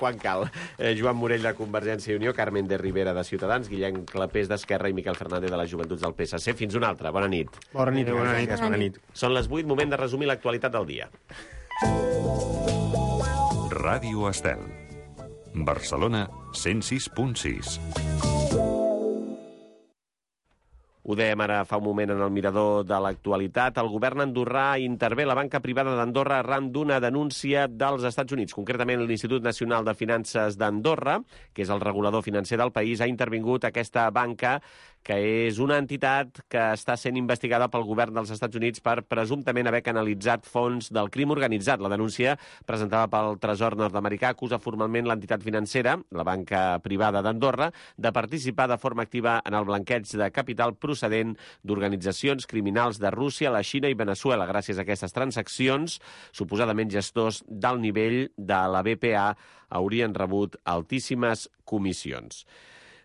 quan cal. Joan Morell, de Convergència i Unió, Carmen de Rivera, de Ciutadans, Guillem Clapés, d'Esquerra, i Miquel Fernández, de les Joventuts del PSC. Fins una altra. Bona nit. Bona nit. Són les 8, moment de resumir l'actualitat del dia. Ràdio Estel. Barcelona 106.6. Ho dèiem ara fa un moment en el mirador de l'actualitat. El govern andorrà intervé la banca privada d'Andorra arran d'una denúncia dels Estats Units. Concretament, l'Institut Nacional de Finances d'Andorra, que és el regulador financer del país, ha intervingut aquesta banca, que és una entitat que està sent investigada pel govern dels Estats Units per presumptament haver canalitzat fons del crim organitzat. La denúncia presentada pel Tresor nord-americà acusa formalment l'entitat financera, la banca privada d'Andorra, de participar de forma activa en el blanqueig de capital procedent d'organitzacions criminals de Rússia, la Xina i Veneçuela. Gràcies a aquestes transaccions, suposadament gestors d'alt nivell de la BPA haurien rebut altíssimes comissions.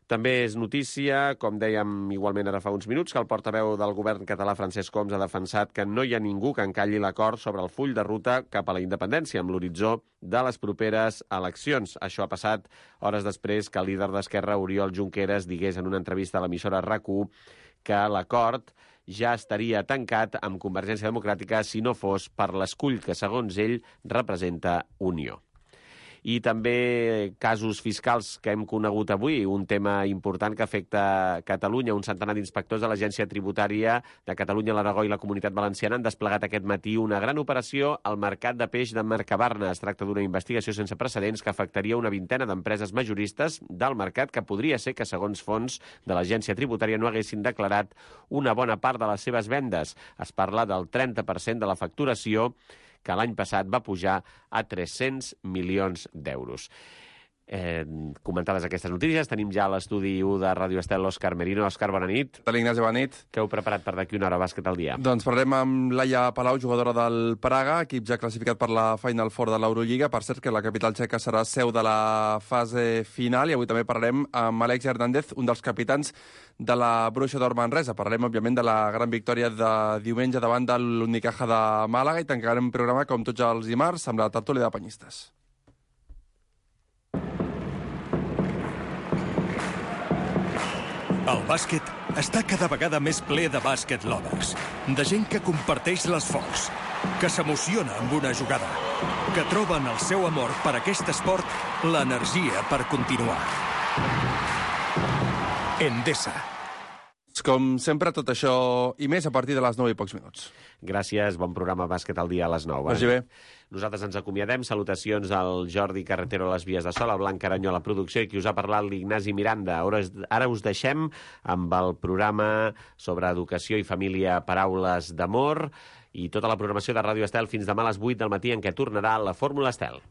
També és notícia, com dèiem igualment ara fa uns minuts, que el portaveu del govern català, Francesc Homs, ha defensat que no hi ha ningú que encalli l'acord sobre el full de ruta cap a la independència amb l'horitzó de les properes eleccions. Això ha passat hores després que el líder d'Esquerra, Oriol Junqueras, digués en una entrevista a l'emissora RAC1 que l'acord ja estaria tancat amb Convergència Democràtica si no fos per l'escull que, segons ell, representa Unió. I també casos fiscals que hem conegut avui, un tema important que afecta Catalunya. Un centenar d'inspectors de l'Agència Tributària de Catalunya, l'Aragó i la Comunitat Valenciana han desplegat aquest matí una gran operació al mercat de peix de Mercabarna. Es tracta d'una investigació sense precedents que afectaria una vintena d'empreses majoristes del mercat que podria ser que, segons fons de l'Agència Tributària, no haguessin declarat una bona part de les seves vendes. Es parla del 30% de la facturació, que l'any passat va pujar a 300 milions d'euros. Comentades aquestes notícies, tenim ja a l'estudi 1 de Ràdio Estel l'Òscar Merino. Òscar, bona nit. Tal, Ignasi, bona nit. Què heu preparat per d'aquí una hora bàsquet al dia? Doncs parlarem amb Laia Palau, jugadora del Praga, equip ja classificat per la Final Four de l'Eurolliga. Per cert, que la capital txeca serà seu de la fase final. I avui també parlarem amb Àlex Hernández, un dels capitans de la Bruixa d'Or Manresa. Parlarem, òbviament, de la gran victòria de diumenge davant de l'Unicaja de Màlaga i tancarem un programa, com tots els dimarts, amb la tertúlia de penyistes. El bàsquet està cada vegada més ple de bàsquet lovers, de gent que comparteix l'esforç, que s'emociona amb una jugada, que troba en el seu amor per aquest esport l'energia per continuar. Endesa. Com sempre, tot això i més a partir de les 9 i pocs minuts. Gràcies, bon programa Bàsquet al dia a les 9. Vagi bé. Nosaltres ens acomiadem. Salutacions al Jordi Carretero a les vies de Sol, a Blanc Caranyó a la producció i qui us ha parlat l'Ignasi Miranda. Ara us deixem amb el programa sobre educació i família Paraules d'Amor i tota la programació de Ràdio Estel fins demà a les 8 del matí en què tornarà la Fórmula Estel.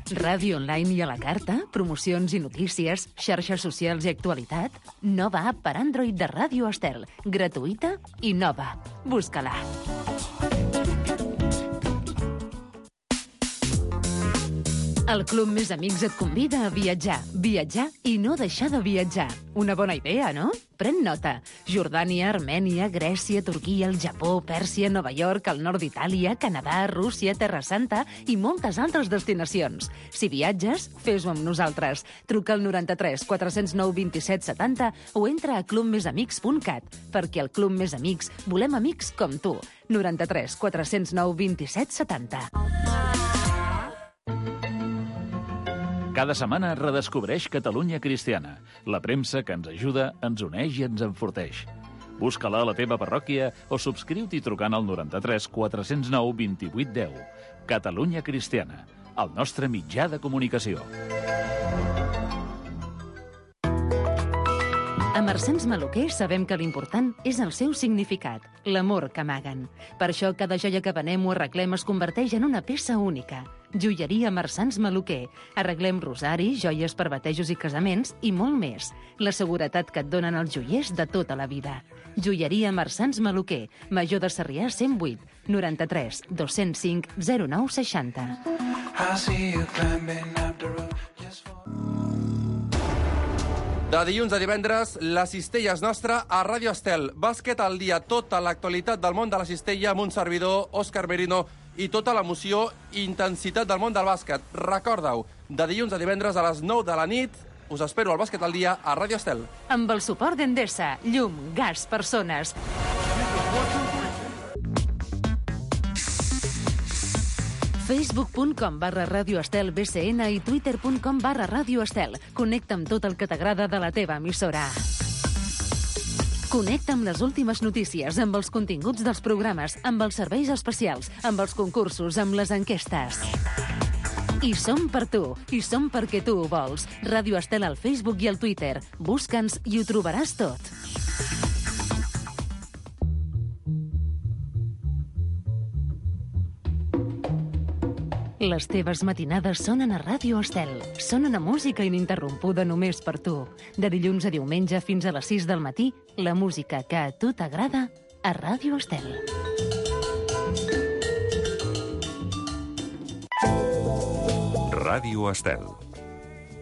Ràdio online i a la carta, promocions i notícies, xarxes socials i actualitat. Nova app per Android de Ràdio Estel. Gratuïta i nova. Busca-la. El Club Més Amics et convida a viatjar i no deixar de viatjar. Una bona idea, no? Pren nota. Jordània, Armènia, Grècia, Turquia, el Japó, Pèrsia, Nova York, el nord d'Itàlia, Canadà, Rússia, Terra Santa i moltes altres destinacions. Si viatges, fes-ho amb nosaltres. Truca al 93 409 27 70 o entra a clubmesamics.cat, perquè al Club Més Amics volem amics com tu. 93 409 27 70. Cada setmana redescobreix Catalunya Cristiana, la premsa que ens ajuda, ens uneix i ens enforteix. Busca-la a la teva parròquia o subscriu-t'hi trucant al 93 409 28 10. Catalunya Cristiana, el nostre mitjà de comunicació. A Marsans Maluquer sabem que l'important és el seu significat, l'amor que amaguen. Per això cada joia que venem o arreglem es converteix en una peça única. Joieria Marsans Maluquer. Arreglem rosaris, joies per batejos i casaments i molt més. La seguretat que et donen els joiers de tota la vida. Joieria Marsans Maluquer. Major de Sarrià 108 93 205 09 60. De dilluns a divendres, la cistella és nostra a Ràdio Estel. Bàsquet al dia, tota l'actualitat del món de la cistella amb un servidor, Òscar Merino, i tota l'emoció i intensitat del món del bàsquet. Recorda-ho, de dilluns a divendres a les 9 de la nit, us espero al Bàsquet al Dia a Ràdio Estel. Amb el suport d'Endesa, llum, gas, persones. Facebook.com/Ràdio Estel BCN i Twitter.com/Ràdio Estel. Connecta amb tot el que t'agrada de la teva emissora. Connecta amb les últimes notícies, amb els continguts dels programes, amb els serveis especials, amb els concursos, amb les enquestes. I som per tu, i som perquè tu ho vols. Ràdio Estel al Facebook i al Twitter. Busca'ns i ho trobaràs tot. Les teves matinades sonen a Ràdio Estel. Sonen a música ininterrompuda només per tu. De dilluns a diumenge fins a les 6 del matí, la música que a tu t'agrada a Ràdio Estel. Ràdio Estel.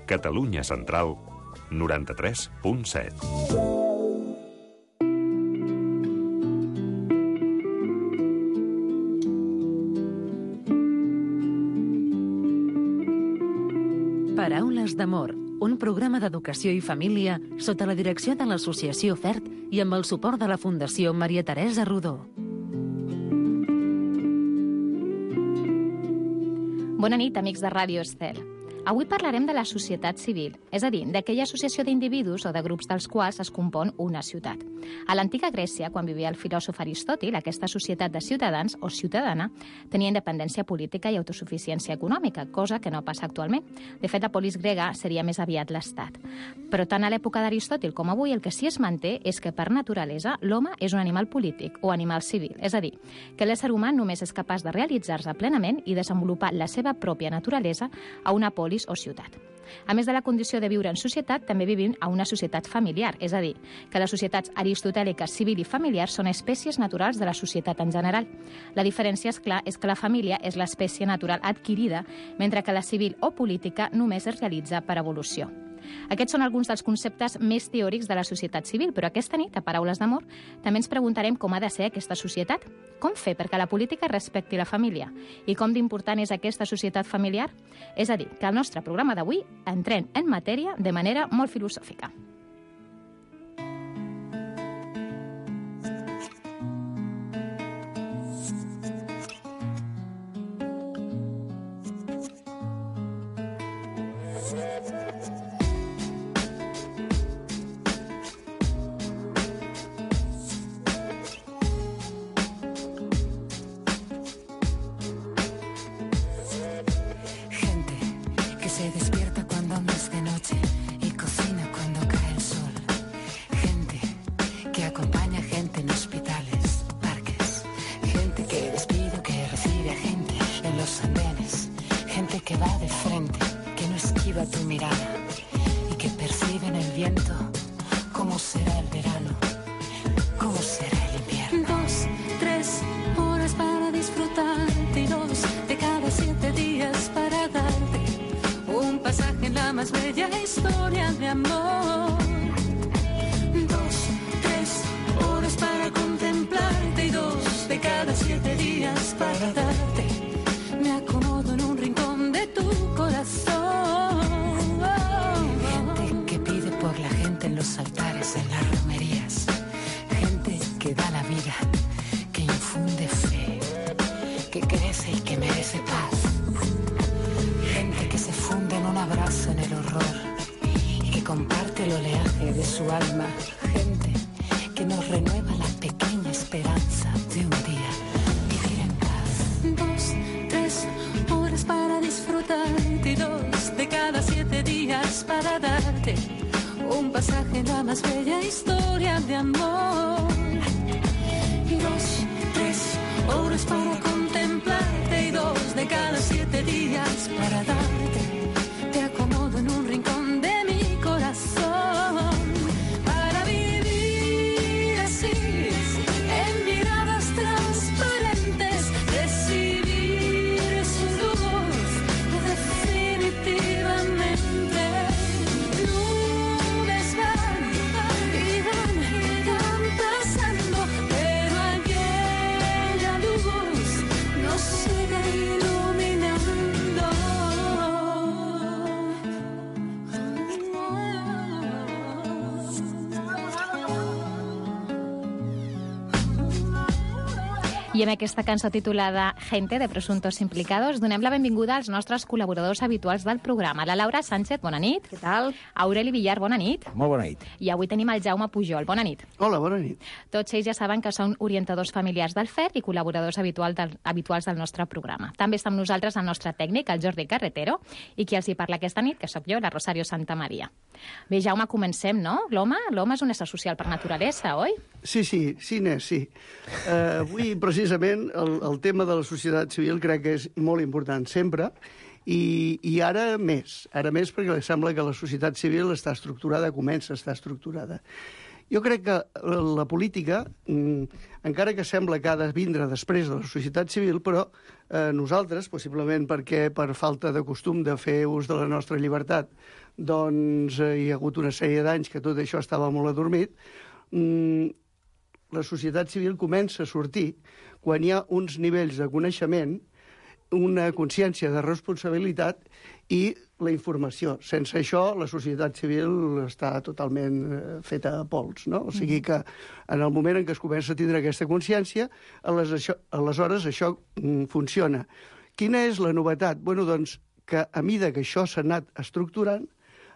Catalunya Central, 93.7. Paraules d'amor, un programa d'educació i família sota la direcció de l'Associació FERT i amb el suport de la Fundació Maria Teresa Rodó. Bona nit, amics de Ràdio Estel. Avui parlarem de la societat civil, és a dir, d'aquella associació d'individus o de grups dels quals es compon una ciutat. A l'antiga Grècia, quan vivia el filòsof Aristòtil, aquesta societat de ciutadans o ciutadana tenia independència política i autosuficiència econòmica, cosa que no passa actualment. De fet, la polis grega seria més aviat l'estat. Però tant a l'època d'Aristòtil com avui el que sí es manté és que per naturalesa l'home és un animal polític o animal civil, és a dir, que l'ésser humà només és capaç de realitzar-se plenament i desenvolupar la seva pròpia naturalesa a una polis o ciutat. A més de la condició de viure en societat, també vivim a una societat familiar, és a dir, que les societats aristotèliques, civil i familiar són espècies naturals de la societat en general. La diferència, és clar, és que la família és l'espècie natural adquirida, mentre que la civil o política només es realitza per evolució. Aquests són alguns dels conceptes més teòrics de la societat civil, però aquesta nit, a Paraules d'Amor, també ens preguntarem com ha de ser aquesta societat, com fer perquè la política respecti la família i com d'important és aquesta societat familiar. És a dir, que al nostre programa d'avui entrem en matèria de manera molt filosòfica. Se despierta cuando aún es de noche y cocina cuando cae el sol. Gente que acompaña a gente en hospitales, parques. Gente que despide o que recibe a gente en los andenes. Gente que va de frente, que no esquiva tu mirada y que percibe en el viento cómo será el verano, cómo será el invierno. 2, 3 horas para disfrutarte y 2 de cada 7 días para darte un pasaje en la más bella historia de amor. 2, 3 horas para contemplarte y 2 de cada 7 días para darte. Me acomodo en un rincón de tu corazón. Gente que pide por la gente en los altares, en las romerías. Gente que da la vida, que infunde fe, que crece y que merece paz. Gente que se funde en un abrazo en el horror y que comparte el oleaje de su alma. Gente que nos renueva la pequeña esperanza de un día vivir en paz. 2, 3 horas para disfrutarte y 2 de cada 7 días para darte un pasaje en la más bella historia de amor. 2, 3 horas para contemplarte y 2 de cada 7 días para darte. Te acomodo en un rincón de mi corazón para vivir así, en miradas transparentes, recibir su luz definitivamente. Nubes van y van pasando, pero aquella luz no sigue I amb aquesta cançó titulada Gente de Presuntos Implicados donem la benvinguda als nostres col·laboradors habituals del programa. La Laura Sánchez, bona nit. Què tal? Aureli Villar, bona nit. Molt bona nit. I avui tenim el Jaume Pujol, bona nit. Hola, bona nit. Tots ells ja saben que són orientadors familiars del FER i col·laboradors habituals del nostre programa. També està amb nosaltres el nostre tècnic, el Jordi Carretero, i qui els hi parla aquesta nit, que sóc jo, la Rosario Santamaria. Bé, Jaume, comencem, no? L'home és un ésser social per naturalesa, oi? Sí, Inés, sí. Avui, precisament, el tema de la societat civil crec que és molt important sempre, i ara més perquè sembla que la societat civil està estructurada, comença a estar estructurada. Jo crec que la política, encara que sembla que ha de vindre després de la societat civil, però nosaltres, possiblement perquè per falta de costum de fer ús de la nostra llibertat, doncs hi ha hagut una sèrie d'anys que tot això estava molt adormit, la societat civil comença a sortir quan hi ha uns nivells de coneixement, una consciència de responsabilitat i la informació. Sense això, la societat civil està totalment feta a pols, no? O sigui que en el moment en què es comença a tindre aquesta consciència, aleshores això funciona. Quina és la novetat? Bueno, doncs, que a mida que això s'ha anat estructurant,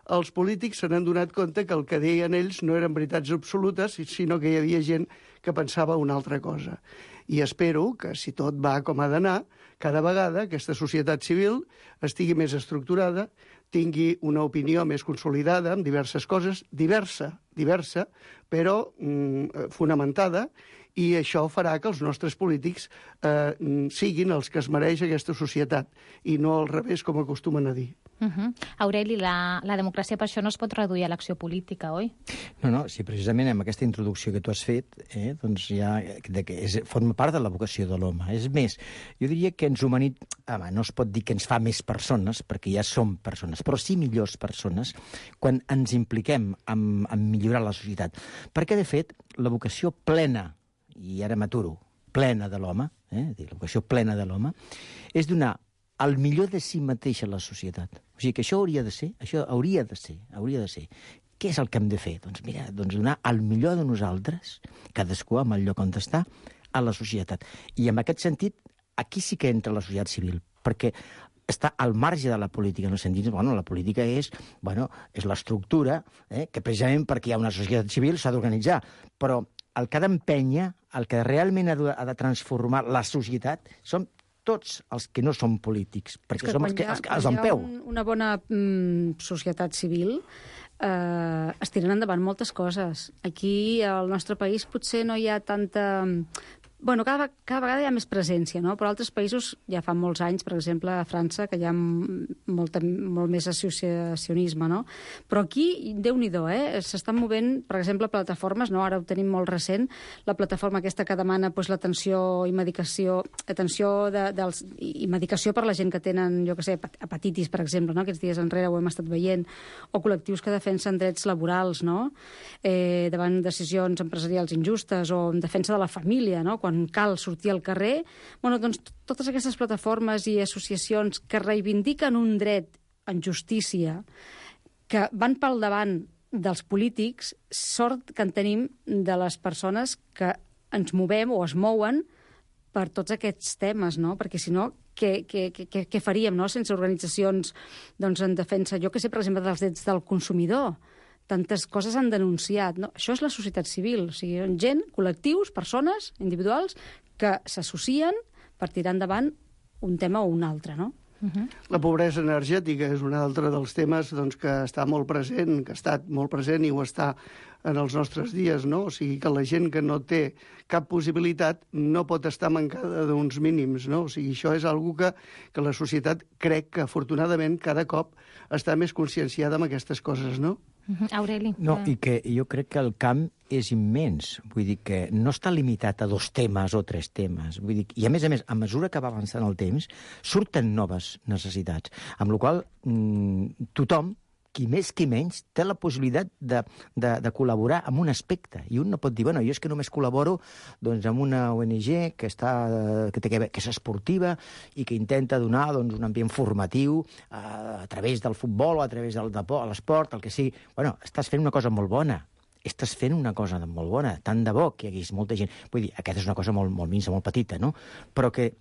els polítics se n'han donat compte que el que deien ells no eren veritats absolutes, sinó que hi havia gent que pensava una altra cosa. I espero que, si tot va com ha d'anar, cada vegada aquesta societat civil estigui més estructurada, tingui una opinió més consolidada en diverses coses, diversa, però fonamentada, i això farà que els nostres polítics siguin els que es mereix aquesta societat, i no al revés, com acostumen a dir. Aureli, la democràcia per això no es pot reduir a l'acció política, oi? No, sí, precisament amb aquesta introducció que tu has fet, doncs ja forma part de la vocació de l'home. És més, jo diria que ens no es pot dir que ens fa més persones, perquè ja som persones, però sí millors persones quan ens impliquem en millorar la societat. Perquè, de fet, la vocació plena, i ara m'aturo, plena de l'home, la vocació plena de l'home, és donar el millor de si mateix a la societat. O sigui que això hauria de ser. Què és el que hem de fer? Doncs mira, donar el millor de nosaltres, cadascú amb el lloc on està, a la societat. I en aquest sentit, aquí sí que entra la societat civil, perquè està al marge de la política, en el sentit, la política és l'estructura, que precisament perquè hi ha una societat civil s'ha d'organitzar, però el que ha d'empènyer, el que realment ha de transformar la societat, són tots els que no som polítics, perquè som els que en peu. Quan hi ha una bona societat civil, es tiren endavant moltes coses. Aquí, al nostre país, potser no hi ha tanta... Bueno, cada vegada hi ha més presència, no? Però altres països ja fa molts anys, per exemple, a França, que hi ha molt més associacionisme, no? Però aquí, Déu-n'hi-do, s'estan movent, per exemple, plataformes, no? Ara ho tenim molt recent, la plataforma aquesta que demana l'atenció i medicació, i medicació per la gent que tenen, jo què sé, hepatitis, per exemple, no? Aquests dies enrere ho hem estat veient, o col·lectius que defensen drets laborals, no? Davant decisions empresarials injustes, o en defensa de la família, no? Quan cal sortir al carrer, doncs totes aquestes plataformes i associacions que reivindiquen un dret en justícia, que van pel davant dels polítics, sort que en tenim de les persones que ens movem o es mouen per tots aquests temes, no? Perquè si no, què faríem, no? Sense organitzacions en defensa, jo que sé, per exemple, dels drets del consumidor. Tantes coses han denunciat. No? Això és la societat civil. O sigui, gent, col·lectius, persones, individuals, que s'associen per tirar endavant un tema o un altre, no? La pobresa energètica és un altre dels temes que està molt present, que ha estat molt present i ho està en els nostres dies, no? O sigui, que la gent que no té cap possibilitat no pot estar mancada d'uns mínims, no? O sigui, això és una que la societat crec que, afortunadament, cada cop està més conscienciada amb aquestes coses, no? Aureli. No, i que jo crec que el camp és immens. Vull dir que no està limitat a 2 temes o 3 temes. Vull dir, i a més, a mesura que va avançant el temps, surten noves necessitats. Amb la qual cosa, tothom, qui més qui menys, té la possibilitat de col·laborar en un aspecte. I un no pot dir, jo és que només col·laboro amb una ONG que és esportiva i que intenta donar un ambient formatiu a través del futbol o a través de l'esport, el que sigui. Estàs fent una cosa molt bona. estàs fent una cosa molt bona, tant de bo que hi hagués molta gent. Vull dir, aquesta és una cosa molt minsa, molt petita, no? Però que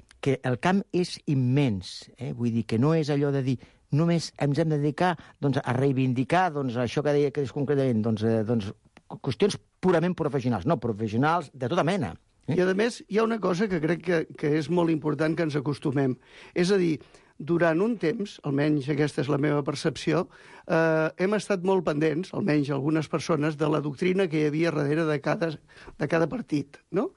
el camp és immens, vull dir, que no és allò de dir només ens hem de dedicar a reivindicar això que deia que és concretament, qüestions purament professionals, no, professionals de tota mena. I, a més, hi ha una cosa que crec que és molt important que ens acostumem. És a dir, durant un temps, almenys aquesta és la meva percepció, hem estat molt pendents, almenys algunes persones, de la doctrina que hi havia darrere de cada partit, no?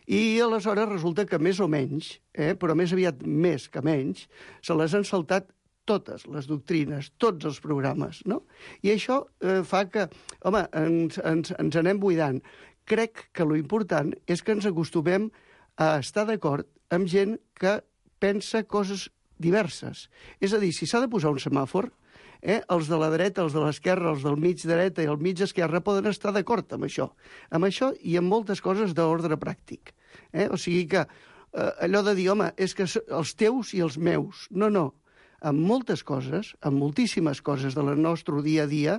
I aleshores resulta que més o menys, però més aviat més que menys, se les han saltat totes les doctrines, tots els programes, no? I això fa que, home, ens anem buidant. Crec que lo important és que ens acostumem a estar d'acord amb gent que pensa coses diverses. És a dir, si s'ha de posar un semàfor, els de la dreta, els de l'esquerra, els del mig dreta i el mig esquerra poden estar d'acord amb això i amb moltes coses d'ordre pràctic. O sigui que allò de dir, home, és que els teus i els meus. No, no. Amb moltes coses, amb moltíssimes coses del nostre dia a dia,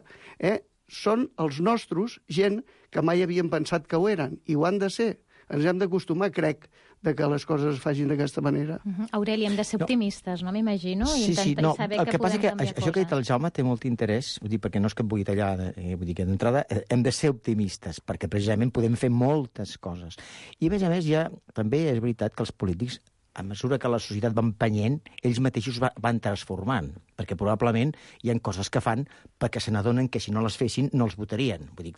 són els nostres gent que mai havien pensat que ho eren, i ho han de ser. Ens hem d'acostumar, crec, de que les coses es facin d'aquesta manera. Aureli, hem de ser optimistes, no m'imagino? Sí, no, el que passa és que això que ha dit el Jaume té molt interès, vull dir, perquè no és que em vulgui tallar, vull dir que d'entrada hem de ser optimistes, perquè precisament podem fer moltes coses. I a més, també és veritat que els polítics, a mesura que la societat va empenyent, ells mateixos van transformant, perquè probablement hi ha coses que fan perquè se n'adonen que si no les fessin no els votarien. Vull dir,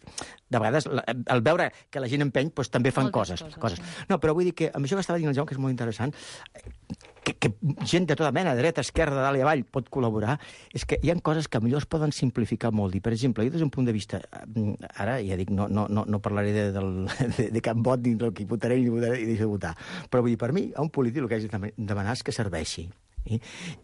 de vegades, al veure que la gent empeny, doncs també fan coses. No, però vull dir que amb això que estava dient el Jaume, que és molt interessant, que gent de tota mena, dreta, esquerra, de dalt i avall, pot col·laborar, és que hi ha coses que millor es poden simplificar molt. I, per exemple, jo des d'un punt de vista, ara ja dic, no parlaré de cap vot, ni del que votaré ni deixo de votar, però vull dir, per mi, a un polític el que hagi de demanar és que serveixi.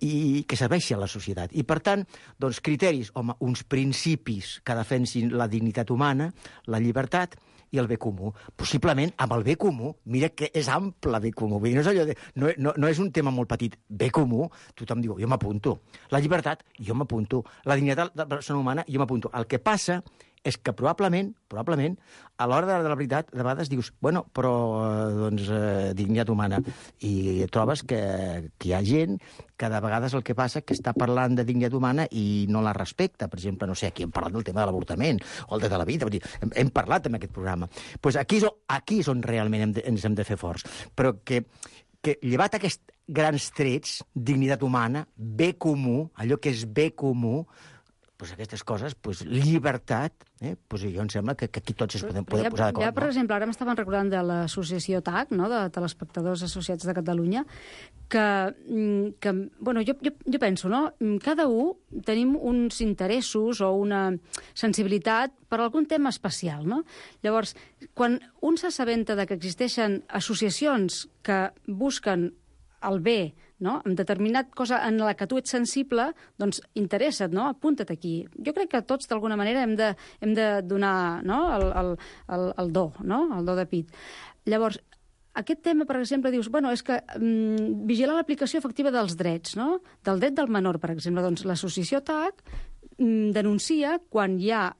I que serveixi a la societat. I, per tant, doncs, criteris, home, uns principis que defensin la dignitat humana, la llibertat i el bé comú. Possiblement, amb el bé comú, mira que és ample bé comú. Vull dir, no és allò de... No és un tema molt petit. Bé comú, tothom diu, jo m'apunto. La llibertat, jo m'apunto. La dignitat de la persona humana, jo m'apunto. El que passa és que probablement, a l'hora de la veritat, de vegades dius, bueno, però, dignitat humana. I trobes que hi ha gent que de vegades el que passa que està parlant de dignitat humana i no la respecta. Per exemple, no sé, aquí hem parlat del tema de l'avortament o el de la vida. Vull dir, hem parlat en aquest programa. Doncs aquí és on realment ens hem de fer forts. Però que llevat aquests grans trets, dignitat humana, bé comú, allò que és bé comú, doncs aquestes coses, llibertat, doncs jo em sembla que aquí tots es podem posar d'acord. Ja, per exemple, ara m'estaven recordant de l'associació TAC, no?, de telespectadors associats de Catalunya, que bueno, jo penso, no?, cada un tenim uns interessos o una sensibilitat per algun tema especial, no? Llavors, quan un s'assabenta de que existeixen associacions que busquen el bé, no?, en determinat cosa en la que tu ets sensible, doncs interessa't, no?, apunta't aquí. Jo crec que tots, d'alguna manera, hem de donar, no?, el do, no?, el do de pit. Llavors, aquest tema, per exemple, dius, bueno, és que vigilar l'aplicació efectiva dels drets, no?, del dret del menor, per exemple. Doncs l'associació TAC denuncia quan hi ha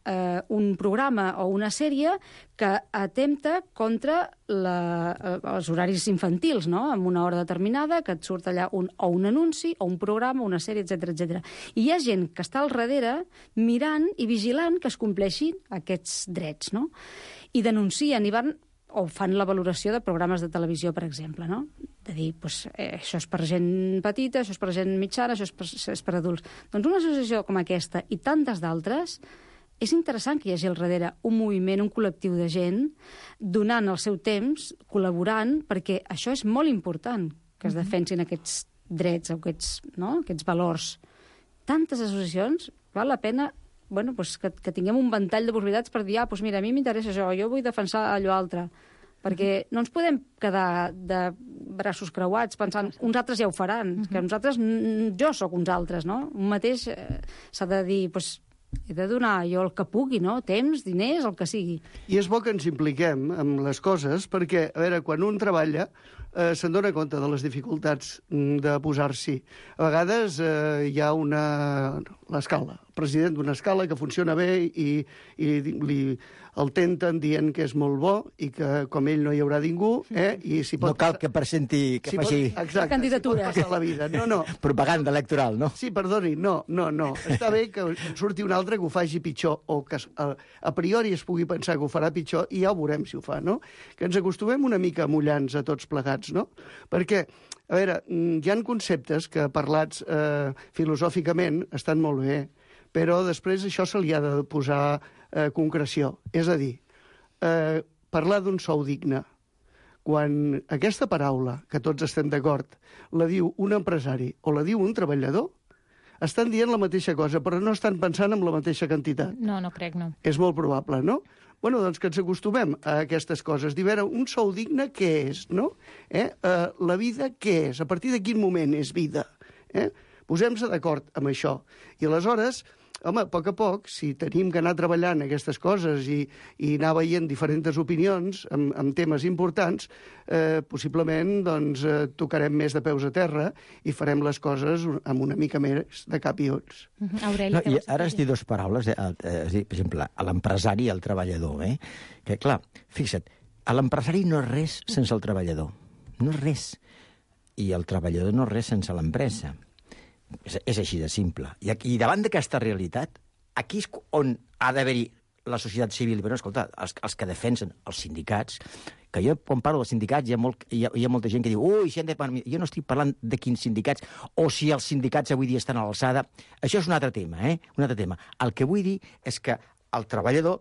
un programa o una sèrie que atempta contra els horaris infantils, no?, en una hora determinada, que et surt allà o un anunci, o un programa, una sèrie, etc. I hi ha gent que està al darrere mirant i vigilant que es compleixin aquests drets, no? I denuncien i van o fan la valoració de programes de televisió, per exemple, no? De dir, això és per gent petita, això és per gent mitjana, això és per adults. Doncs una associació com aquesta i tantes d'altres, és interessant que hi hagi al darrere un moviment, un col·lectiu de gent donant el seu temps, col·laborant, perquè això és molt important, que es defensin aquests drets, aquests valors. Tantes associacions, val la pena que tinguem un ventall de possibilitats per dir, mira, a mi m'interessa això, jo vull defensar allò altre. Perquè no ens podem quedar de braços creuats pensant uns altres ja ho faran, que nosaltres, jo sóc uns altres, no? Un mateix s'ha de dir, he de donar jo el que pugui, no? Temps, diners, el que sigui. I és bo que ens impliquem amb les coses perquè, a veure, quan un treballa, se'n dona compte de les dificultats de posar-s'hi. A vegades hi ha l'escala, el president d'una escala que funciona bé i el tenten dient que és molt bo i que com ell no hi haurà ningú, i si pot... No cal que presenti, que faci... Exacte, candidatures. Si pot passar la vida. No. Propaganda electoral, no? Sí, perdoni, no. Està bé que surti un altre que ho faci pitjor o que a priori es pugui pensar que ho farà pitjor i ja ho veurem si ho fa, no? Que ens acostumem una mica a mullar-nos a tots plegats, no? Perquè, a veure, hi ha conceptes que parlats filosòficament estan molt bé, però després això se li ha de posar concreció. És a dir, parlar d'un sou digne. Quan aquesta paraula, que tots estem d'acord, la diu un empresari o la diu un treballador, estan dient la mateixa cosa, però no estan pensant en la mateixa quantitat. No crec, no. És molt probable, no? Bueno, doncs que ens acostumem a aquestes coses. Dir, veure, un sou digne, què és, no? La vida, què és? A partir de quin moment és vida? Posem-se d'acord amb això. I aleshores, home, a poc, si tenim que anar treballant aquestes coses i anar veient diferents opinions amb temes importants, possiblement doncs, tocarem més de peus a terra i farem les coses amb una mica més de cap i ulls. Aureli, I ara has dit dues paraules, has dit, per exemple, a l'empresari i al treballador. Que, clar, fixa't, l'empresari no és res sense el treballador. No és res. I el treballador no és res sense l'empresa. És així de simple. I davant d'aquesta realitat, aquí és on ha d'haver-hi la societat civil. Però, escolta, els que defensen els sindicats, que jo, quan parlo dels sindicats, hi ha molta gent que diu jo no estic parlant de quins sindicats, o si els sindicats avui dia estan a l'alçada. Això és un altre tema, Un altre tema. El que vull dir és que el treballador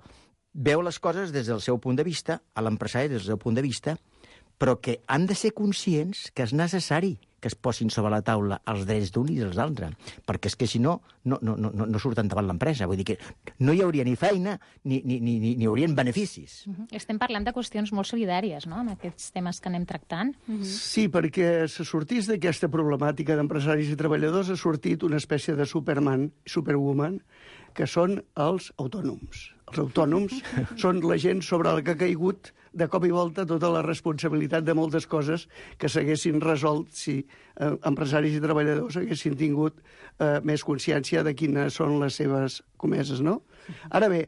veu les coses des del seu punt de vista, a l'empresari des del seu punt de vista, però que han de ser conscients que és necessari que es posin sobre la taula els drets d'un i dels altres, perquè és que si no surten davant l'empresa. Vull dir que no hi hauria ni feina ni hi haurien beneficis. Estem parlant de qüestions molt solidàries, no?, amb aquests temes que anem tractant. Sí, perquè se sortís d'aquesta problemàtica d'empresaris i treballadors ha sortit una espècie de Superman, Superwoman, que són els autònoms. Els autònoms són la gent sobre la que ha caigut de cop i volta tota la responsabilitat de moltes coses que s'haguessin resolt si empresaris i treballadors haguessin tingut més consciència de quines són les seves comeses, no? Ara bé,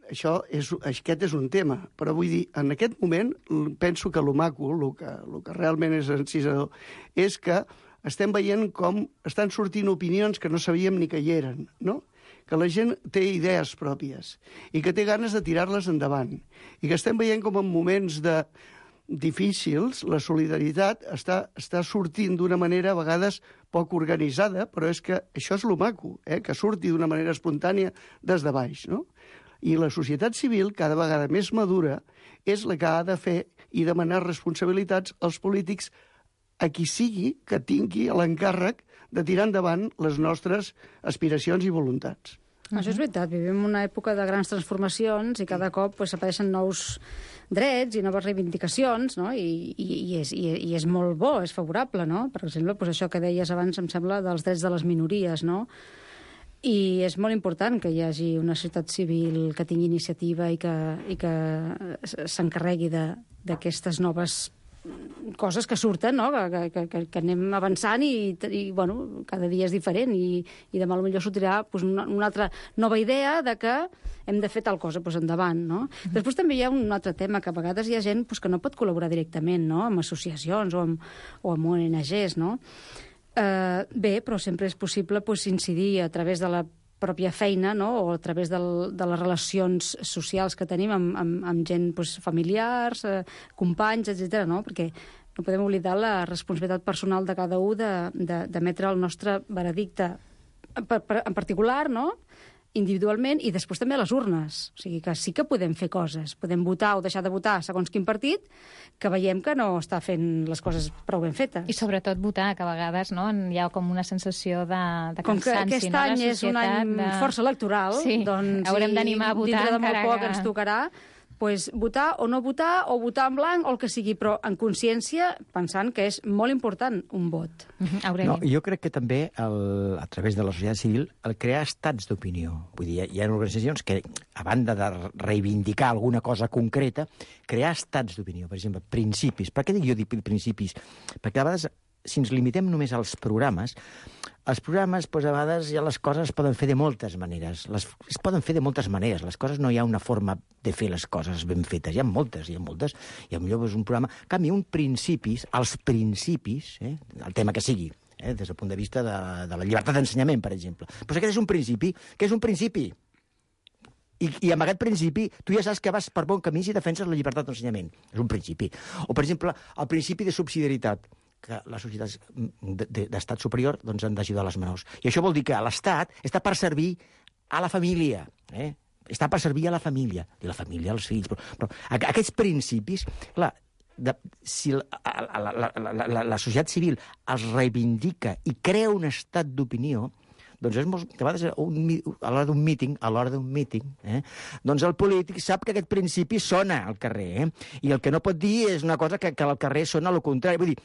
aquest és un tema, però vull dir, en aquest moment penso que lo maco, el que realment és encisador, és que estem veient com estan sortint opinions que no sabíem ni que hi eren, no? Que la gent té idees pròpies i que té ganes de tirar-les endavant. I que estem veient com en moments difícils la solidaritat està sortint d'una manera a vegades poc organitzada, però és que això és lo maco, que surti d'una manera espontània des de baix, no? I la societat civil, cada vegada més madura, és la que ha de fer i demanar responsabilitats als polítics a qui sigui que tingui l'encàrrec de tirar endavant les nostres aspiracions i voluntats. Això és veritat, vivim una època de grans transformacions i cada cop s'apareixen nous drets i noves reivindicacions, no? I és molt bo, és favorable, no? Per exemple, això que deies abans, em sembla, dels drets de les minories, no? I és molt important que hi hagi una societat civil que tingui iniciativa i que s'encarregui d'aquestes noves coses que surten, no? Que anem avançant i bueno, cada dia és diferent i demà potser sortirà una altra nova idea de que hem de fer tal cosa, endavant, no? Després també hi ha un altre tema, que a vegades hi ha gent que no pot col·laborar directament, no?, amb associacions o amb ONGs, no? Bé, però sempre és possible incidir a través de la pròpia feina, no?, o a través de les relacions socials que tenim amb gent familiars, companys, etc., no? Perquè no podem oblidar la responsabilitat personal de cada un d'emetre el nostre veredicte en particular, no?, individualment, i després també a les urnes. O sigui que sí que podem fer coses. Podem votar o deixar de votar segons quin partit que veiem que no està fent les coses prou ben fetes. I sobretot votar, que a vegades hi ha com una sensació de cansanci. Com que aquest any és un any força electoral, doncs haurem d'animar a votar. Dintre de molt poc ens tocarà, pues, votar o no votar, o votar en blanc, o el que sigui, però en consciència, pensant que és molt important un vot. No, jo crec que també, a través de la societat civil, el crear estats d'opinió. Vull dir, hi ha organitzacions que, a banda de reivindicar alguna cosa concreta, crear estats d'opinió. Per exemple, principis. Per què dic jo principis? Perquè a vegades, si ens limitem només als programes, a vegades ja les coses es poden fer de moltes maneres. Es poden fer de moltes maneres. Les coses no hi ha una forma de fer les coses ben fetes. Hi ha moltes. I potser és un programa... En canvi, els principis, el tema que sigui, des del punt de vista de la llibertat d'ensenyament, per exemple. Però aquest és un principi. Què és un principi? I amb aquest principi tu ja saps que vas per bon camí si defenses la llibertat d'ensenyament. És un principi. O, per exemple, el principi de subsidiarietat, que les societats d'estat superior doncs, han d'ajudar les menors. I això vol dir que l'Estat està per servir a la família, està per servir a la família, i la família als fills. Però aquests principis, clar, si la societat civil els reivindica i crea un estat d'opinió, doncs és molt, a vegades a l'hora d'un míting, doncs el polític sap que aquest principi sona al carrer, i el que no pot dir és una cosa que al carrer sona el contrari. Vull dir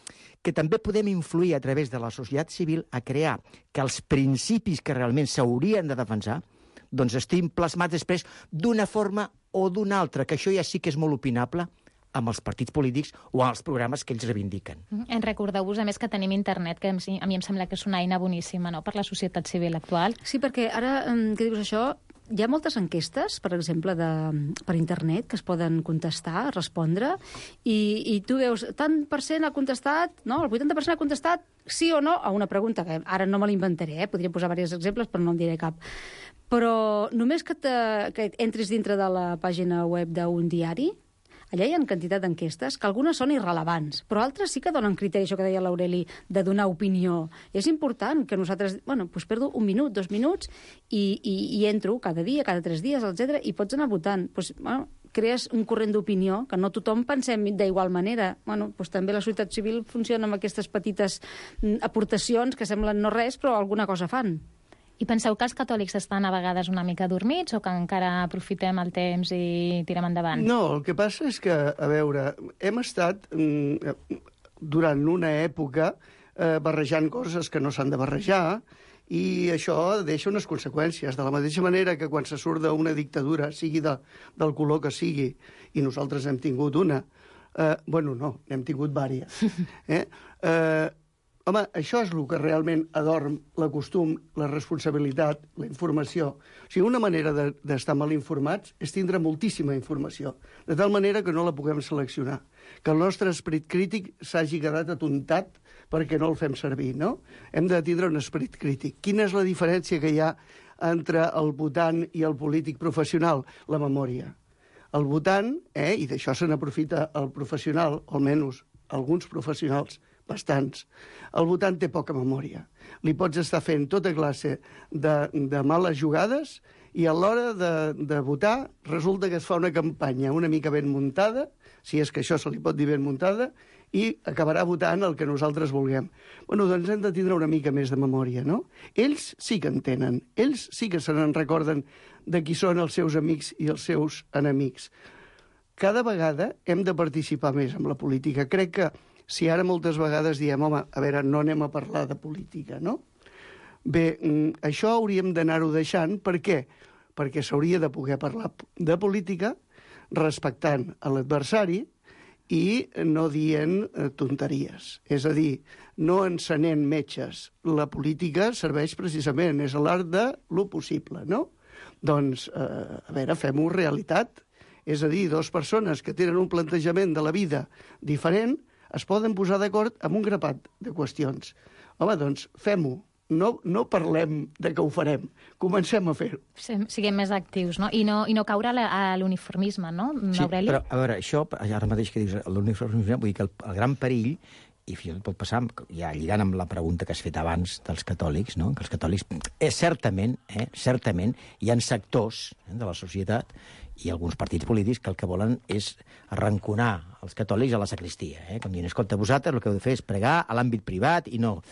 que també podem influir a través de la societat civil a crear que els principis que realment s'haurien de defensar doncs estiguin plasmats després d'una forma o d'una altra, que això ja sí que és molt opinable amb els partits polítics o amb els programes que ells reivindiquen. Recordeu-vos, a més, que tenim internet, que a mi em sembla que és una eina boníssima, no?, per la societat civil actual. Sí, perquè ara, que dius això, hi ha moltes enquestes, per exemple, per internet, que es poden contestar, respondre, i tu veus, tant per cent ha contestat, no?, el 80% ha contestat sí o no a una pregunta, que ara no me l'inventaré, podria posar diversos exemples, però no en diré cap. Però només que entris dintre de la pàgina web d'un diari, allà hi ha quantitat d'enquestes que algunes són irrelevants, però altres sí que donen criteri, això que deia l'Aureli, de donar opinió. És important que nosaltres, doncs perdo 1 minut, 2 minuts, i entro cada dia, cada 3 dies, etc., i pots anar votant. Crees un corrent d'opinió, que no tothom pensem d'igual manera. També la societat civil funciona amb aquestes petites aportacions que semblen no res, però alguna cosa fan. I penseu que els catòlics estan a vegades una mica dormits o que encara aprofitem el temps i tirem endavant? No, el que passa és que, a veure, hem estat durant una època barrejant coses que no s'han de barrejar, i això deixa unes conseqüències. De la mateixa manera que quan se surt d'una dictadura, sigui del color que sigui, i nosaltres hem tingut una, n'hem tingut diverses, home, això és el que realment adorm la costum, la responsabilitat, la informació. O sigui, una manera d'estar mal informats és tindre moltíssima informació, de tal manera que no la puguem seleccionar, que el nostre esperit crític s'hagi quedat atontat perquè no el fem servir, no? Hem de tindre un esperit crític. Quina és la diferència que hi ha entre el votant i el polític professional? La memòria. El votant, i d'això se n'aprofita el professional, almenys alguns professionals, bastants, el votant té poca memòria. Li pots estar fent tota classe de males jugades i a l'hora de votar resulta que es fa una campanya una mica ben muntada, si és que això se li pot dir ben muntada, i acabarà votant el que nosaltres vulguem. Doncs hem de tindre una mica més de memòria, no? Ells sí que en tenen, ells sí que se n'en recorden de qui són els seus amics i els seus enemics. Cada vegada hem de participar més en la política. Crec que si ara moltes vegades diem, home, a veure, no anem a parlar de política, no? Bé, això hauríem d'anar-ho deixant. Per què? Perquè s'hauria de poder parlar de política respectant l'adversari i no dient tonteries. És a dir, no encenent metges. La política serveix precisament, és l'art de lo possible, no? Doncs, a veure, fem-ho realitat. És a dir, dues persones que tenen un plantejament de la vida diferent es poden posar d'acord amb un grapat de qüestions. Home, doncs, fem-ho. No parlem de que ho farem. Comencem a fer-ho. Siguem més actius, no? I no caure a l'uniformisme, no, Aureli? Sí, però, a veure, això, ara mateix que dius l'uniformisme, vull dir que el gran perill, i fins i tot pot passar, ja lligant amb la pregunta que has fet abans dels catòlics, no? Que els catòlics, certament, hi ha sectors de la societat i alguns partits polítics que el que volen és arranconar els catòlics a la sacristia. Com dient, escolta, vosaltres el que heu de fer és pregar a l'àmbit privat i no.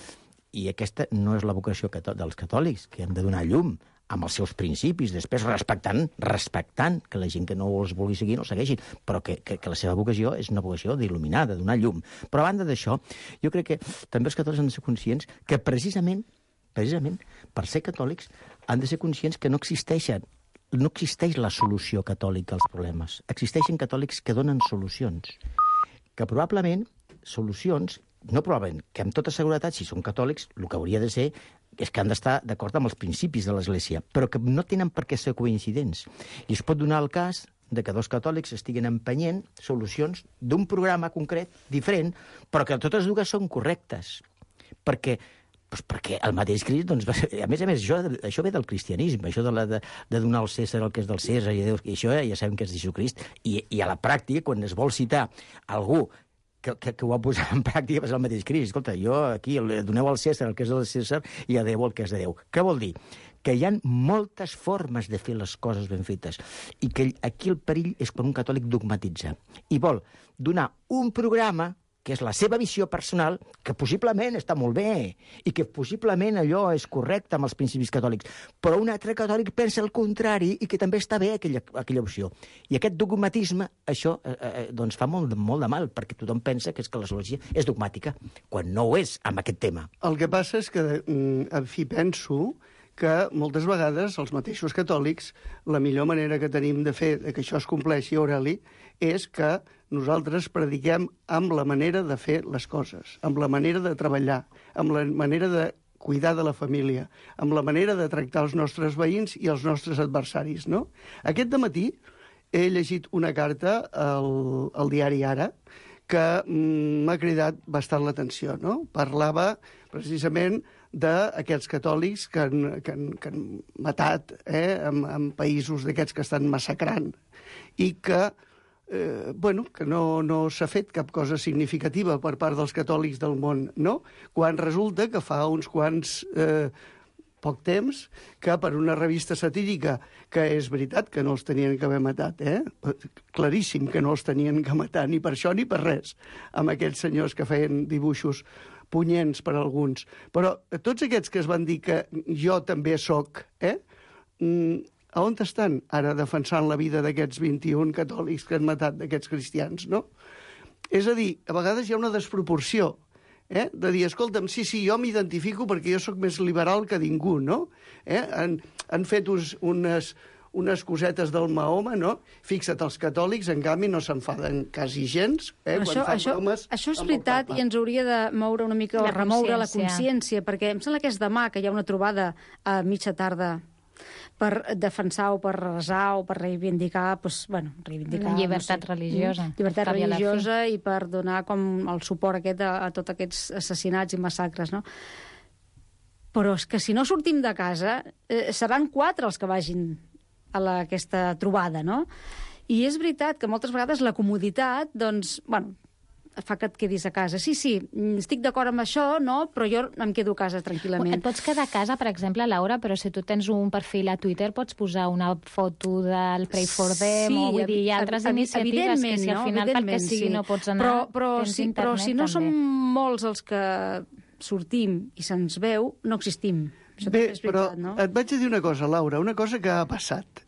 I aquesta no és la vocació dels catòlics, que hem de donar llum amb els seus principis, després respectant que la gent que no els vulgui seguir no el segueixin, però que la seva vocació és una vocació d'il·luminar, de donar llum. Però a banda d'això, jo crec que també els catòlics han de ser conscients que precisament, per ser catòlics, han de ser conscients que no existeix la solució catòlica als problemes. Existeixen catòlics que donen solucions. Que probablement solucions, no probablement, que amb tota seguretat, si són catòlics, el que hauria de ser és que han d'estar d'acord amb els principis de l'Església, però que no tenen per què ser coincidents. I es pot donar el cas de que dos catòlics estiguin empenyent solucions d'un programa concret, diferent, però que totes dues són correctes. Perquè el mateix Crist, doncs, a més, això ve del cristianisme, això de donar al Cèsar el que és del Cèsar, i això ja sabem que és Jesucrist, i a la pràctica, quan es vol citar algú que ho va posar en pràctica, va ser el mateix Crist. Escolta, jo aquí doneu al Cèsar el que és del Cèsar i a Déu el que és de Déu. Què vol dir? Que hi ha moltes formes de fer les coses ben fetes i que aquí el perill és quan un catòlic dogmatitza i vol donar un programa que és la seva visió personal, que possiblement està molt bé i que possiblement allò és correcte amb els principis catòlics, però un altre catòlic pensa el contrari i que també està bé aquella opció. I aquest dogmatisme, això doncs fa molt de mal, perquè tothom pensa que l'Església és dogmàtica, quan no ho és amb aquest tema. El que passa és que, en fi, penso que moltes vegades els mateixos catòlics, la millor manera que tenim de fer que això es compleixi, Aureli, és que nosaltres prediquem amb la manera de fer les coses, amb la manera de treballar, amb la manera de cuidar de la família, amb la manera de tractar els nostres veïns i els nostres adversaris, no? Aquest dematí he llegit una carta al diari Ara que m'ha cridat bastant l'atenció, no? Parlava precisament d'aquests catòlics que han matat en països d'aquests que estan massacrant i que que no s'ha fet cap cosa significativa per part dels catòlics del món, no? Quan resulta que fa uns quants poc temps que per una revista satírica, que és veritat que no els tenien que haver matat, claríssim que no els tenien que matar, ni per això ni per res, amb aquells senyors que feien dibuixos punyents per a alguns. Però tots aquests que es van dir que jo també soc, a on estan ara defensant la vida d'aquests 21 catòlics que han matat d'aquests cristians, no? És a dir, a vegades hi ha una desproporció, de dir, escolta'm, sí, jo m'identifico perquè jo sóc més liberal que ningú, no? Han fet unes cosetes del Mahoma, no? Fixa't, els catòlics, en canvi, no s'enfaden quasi gens. Això és veritat i ens hauria de moure una mica, o remoure la consciència, perquè em sembla que és demà que hi ha una trobada a mitja tarda per defensar o per resar o per reivindicar, la llibertat religiosa. Llibertat religiosa i per donar com el suport aquest a tots aquests assassinats i massacres, no? Però és que si no sortim de casa, seran 4 els que vagin a aquesta trobada, no? I és veritat que moltes vegades la comoditat, doncs, fa que et quedis a casa. Sí, estic d'acord amb això, no? Però jo em quedo a casa tranquil·lament. Et pots quedar a casa, per exemple, Laura, però si tu tens un perfil a Twitter pots posar una foto del Pray for Them, o vull dir, hi ha altres iniciatives que si al final perquè sigui no pots anar... Però si no som molts els que sortim i se'ns veu, no existim. Bé, però et vaig a dir una cosa, Laura, una cosa que ha passat,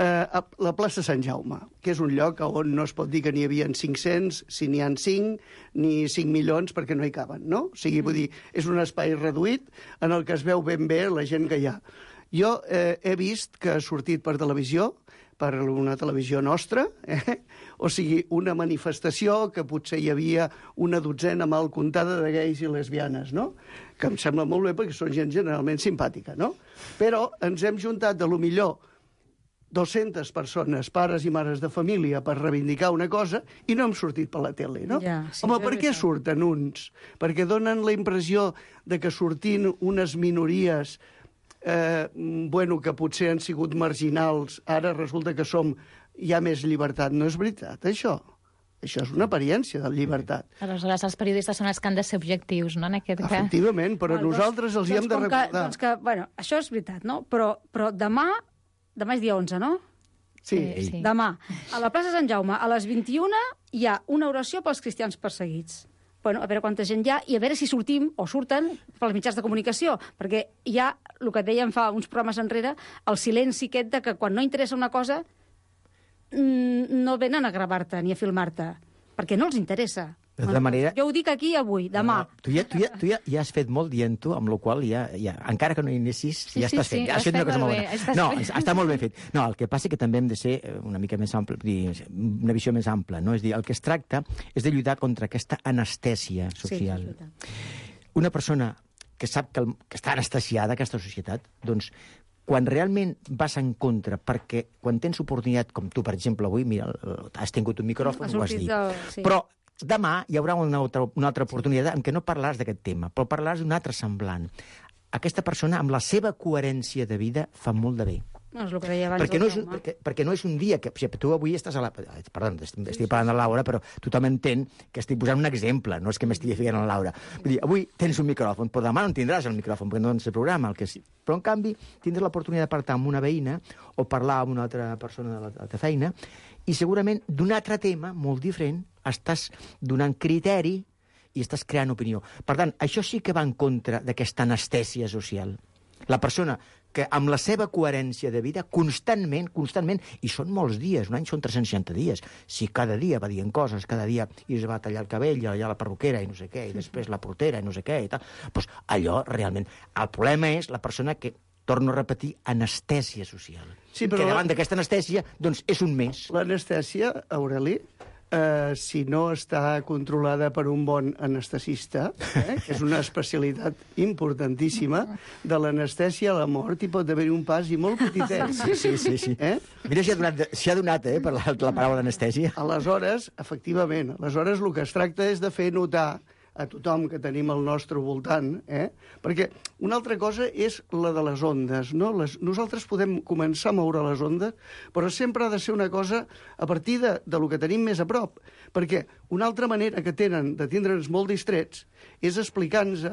a la plaça Sant Jaume, que és un lloc on no es pot dir que n'hi havia 500, si n'hi ha 5, ni 5 milions, perquè no hi caben, no? O sigui, vull dir, és un espai reduït en el que es veu ben bé la gent que hi ha. Jo he vist que ha sortit per televisió, per una televisió nostra, o sigui, una manifestació que potser hi havia una dotzena mal comptada de gais i lesbianes, no? Que em sembla molt bé perquè són gent generalment simpàtica, no? Però ens hem juntat de lo millor 200 persones, pares i mares de família, per reivindicar una cosa, i no hem sortit per la tele, no? Home, per què surten uns? Perquè donen la impressió de que sortint unes minories, que potser han sigut marginals, ara resulta que hi ha més llibertat. No és veritat, això. Això és una apariència de llibertat. Aleshores, els periodistes són els que han de ser objectius, no?, en aquest cas. Efectivament, però nosaltres els hi hem de recordar. Això és veritat, no? Però demà és dia 11, no? Sí. Demà, a la plaça Sant Jaume, a les 21, hi ha una oració pels cristians perseguits. bueno, a veure quanta gent hi ha i a veure si sortim o surten pels mitjans de comunicació, perquè hi ha, el que dèiem fa uns programes enrere, el silenci aquest de que quan no interessa una cosa no venen a gravar-te ni a filmar-te, perquè no els interessa. De tota manera... Jo ho dic aquí avui, demà. Tu ja has fet molt dient-ho, amb la qual ja, encara que no hi anessis, ja estàs fent. Has fet una cosa molt bona. No, està molt ben fet. No, el que passa és que també hem de ser una mica més ample, una visió més ampla, no? És dir, el que es tracta és de lluitar contra aquesta anestèsia social. Una persona que sap que està anestesiada, aquesta societat, doncs, quan realment vas en contra, perquè quan tens oportunitat, com tu, per exemple, avui, mira, has tingut un micròfon, ho has dit, però demà hi haurà una altra oportunitat en què no parlaràs d'aquest tema, però parlaràs d'un altre semblant. Aquesta persona, amb la seva coherència de vida, fa molt de bé. No, és el que deia abans perquè no és un dia que... O sigui, tu avui estàs a la... Perdó, estic parlant de la Laura, però tothom entén que estic posant un exemple, no és que m'estigui ficant a la Laura. Vull dir, avui tens un micròfon, però demà no en tindràs el micròfon, perquè no tens el programa, el que sí. Però, en canvi, tindràs l'oportunitat de parlar amb una veïna o parlar amb una altra persona de la feina i segurament d'un altre tema molt diferent estàs donant criteri i estàs creant opinió. Per tant, això sí que va en contra d'aquesta anestèsia social. La persona que amb la seva coherència de vida constantment, i són molts dies, un any són 360 dies, si cada dia va dient coses, cada dia es va tallar el cabell, allà a la perruquera i no sé què, i després la portera i no sé què, i tal, doncs allò realment... El problema és la persona que, torno a repetir, anestèsia social. Sí, però que davant d'aquesta anestèsia, doncs, és un mes. L'anestèsia, Aureli, si no està controlada per un bon anestesista, que és una especialitat importantíssima, de l'anestèsia a la mort hi pot haver un pas i molt petitet. Sí. Mira si ha donat per la paraula anestèsia. Aleshores, efectivament, el que es tracta és de fer notar a tothom que tenim al nostre voltant, perquè una altra cosa és la de les ondes, no? Nosaltres podem començar a moure les ondes, però sempre ha de ser una cosa a partir de lo que tenim més a prop, perquè una altra manera que tenen de tindre'ns molt distrets és explicant-nos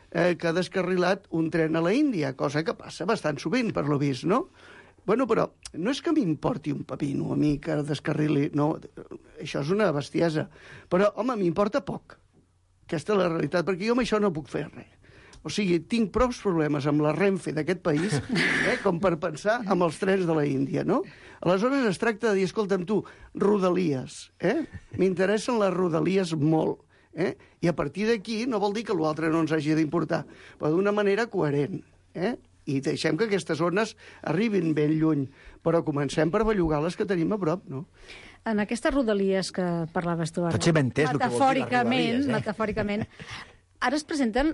que ha descarrilat un tren a la Índia, cosa que passa bastant sovint, per lo vist, no? Bueno, però no és que m'importi un pepino a mi que descarrili, no, això és una bestiesa, però, home, m'importa poc. Aquesta és la realitat, perquè jo amb això no puc fer res. O sigui, tinc prou problemes amb la Renfe d'aquest país com per pensar amb els trens de la Índia, no? Aleshores es tracta de dir, escolta'm tu, rodalies, m'interessen les rodalies molt, i a partir d'aquí no vol dir que l'altre no ens hagi d'importar, però d'una manera coherent, i deixem que aquestes zones arribin ben lluny, però comencem per bellugar les que tenim a prop, no? En aquestes rodalies que parlaves tu ara, potser m'he entès el que vol dir les rodalies, metafòricament, ara es presenten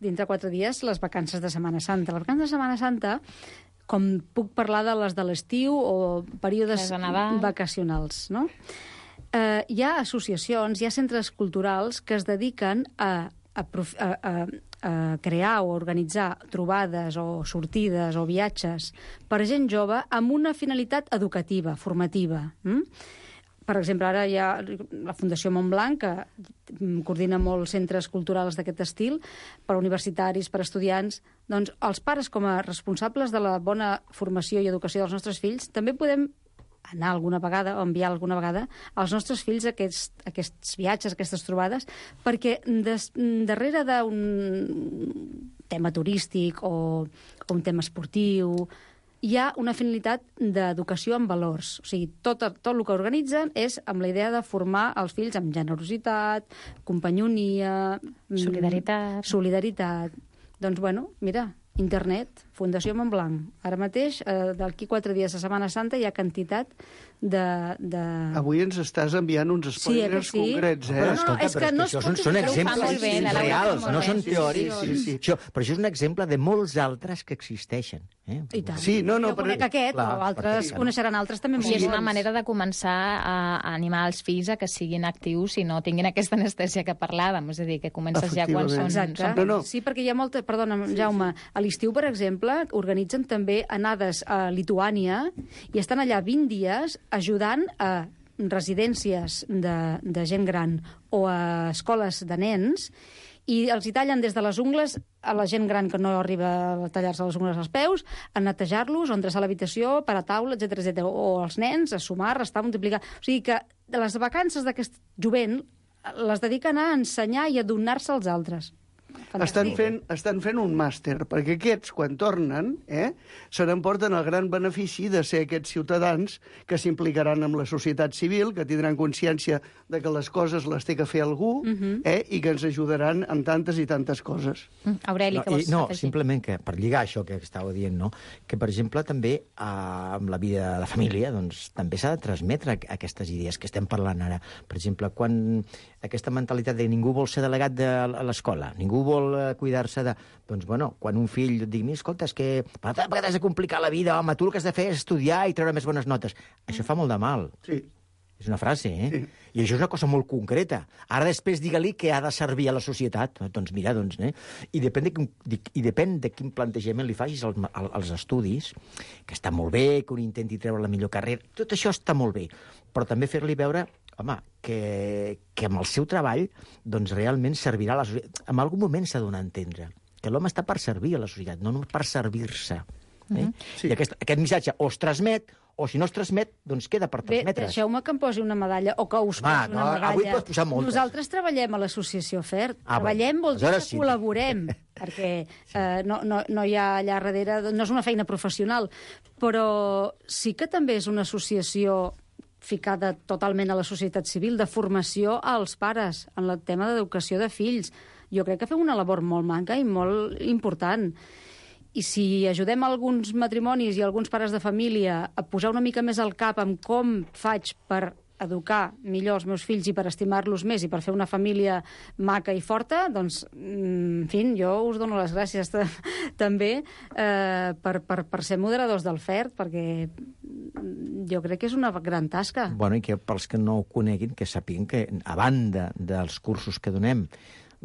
dintre 4 dies les vacances de Setmana Santa. Les vacances de Setmana Santa, com puc parlar de les de l'estiu o períodes vacacionals, no? Hi ha associacions, hi ha centres culturals que es dediquen a crear o organitzar trobades o sortides o viatges per a gent jove amb una finalitat educativa, formativa. Per exemple, ara hi ha la Fundació Montblanc, que coordina molts centres culturals d'aquest estil, per a universitaris, per a estudiants. Doncs els pares, com a responsables de la bona formació i educació dels nostres fills, també podem anar alguna vegada o enviar alguna vegada als nostres fills aquests viatges, aquestes trobades, perquè darrere d'un tema turístic o un tema esportiu hi ha una finalitat d'educació amb valors. O sigui, tot el que organitzen és amb la idea de formar els fills amb generositat, companyonia... Solidaritat. Doncs, bueno, mira, internet, Fundació Montblanc. Ara mateix, d'aquí 4 dies de Setmana Santa, hi ha quantitat de... Avui ens estàs enviant uns spoilers concrets, Però escolta, és que això són exemples reals, no són teòrics. Però això és un exemple de molts altres que existeixen. I tant. Sí, no, jo conec aquest, o altres coneixeran altres també molt. I és una manera de començar a animar els fills a que siguin actius i no tinguin aquesta anestèsia que parlàvem, és a dir, que comences ja quan són... Exacte. Sí, perquè hi ha molta... Perdona, Jaume, a l'estiu, per exemple, organitzen també anades a Lituània i estan allà 20 dies ajudant a residències de gent gran o a escoles de nens i els hi tallen des de les ungles a la gent gran que no arriba a tallar-se les ungles als peus, a netejar-los, a endreçar l'habitació, per a taula, etc. O els nens a sumar, restar, multiplicar... O sigui que de les vacances d'aquest jovent les dediquen a ensenyar i a donar-se als altres. Estan fent un màster, perquè aquests, quan tornen, se n'emporten el gran benefici de ser aquests ciutadans que s'implicaran amb la societat civil, que tindran consciència de que les coses les té que fer algú, i que ens ajudaran en tantes i tantes coses. Aureli, què vols afegir? Simplement que, per lligar això que estàveu dient, no? Que, per exemple, també amb la vida de la família doncs, també s'ha de transmetre aquestes idees que estem parlant ara. Per exemple, quan aquesta mentalitat de ningú vol ser delegat de l'escola, ningú vol cuidar-se de... Doncs, bueno, quan un fill et digui, escolta, és que per què t'has de complicar la vida, home, tu el que has de fer és estudiar i treure més bones notes. Això fa molt de mal. Sí. És una frase, Sí. I això és una cosa molt concreta. Ara després digue-li que ha de servir a la societat. Doncs mira, I depèn de quin plantejament li facis als estudis, que està molt bé, que un intenti treure la millor carrera, tot això està molt bé, però també fer-li veure, home, que amb el seu treball doncs realment servirà a la societat. En algun moment s'ha de donar a entendre que l'home està per servir a la societat, no per servir-se. Sí. I aquest missatge o es transmet, o si no es transmet, doncs queda per transmetre. Bé, deixeu-me que em posi una medalla, o que us posi una medalla. Avui pots posar moltes. Nosaltres treballem a l'associació FERT. Treballem vol dir que col·laborem, perquè no hi ha allà darrere... No és una feina professional, però sí que també és una associació ficada totalment a la societat civil, de formació als pares, en el tema d'educació de fills. Jo crec que fem una labor molt manca i molt important. I si ajudem alguns matrimonis i alguns pares de família a posar una mica més al cap en com faig per educar millor els meus fills i per estimar-los més i per fer una família maca i forta, doncs, en fi, jo us dono les gràcies també per ser moderadors del FERT, perquè jo crec que és una gran tasca. Bueno, i que pels que no ho coneguin, que sàpiguen que, a banda dels cursos que donem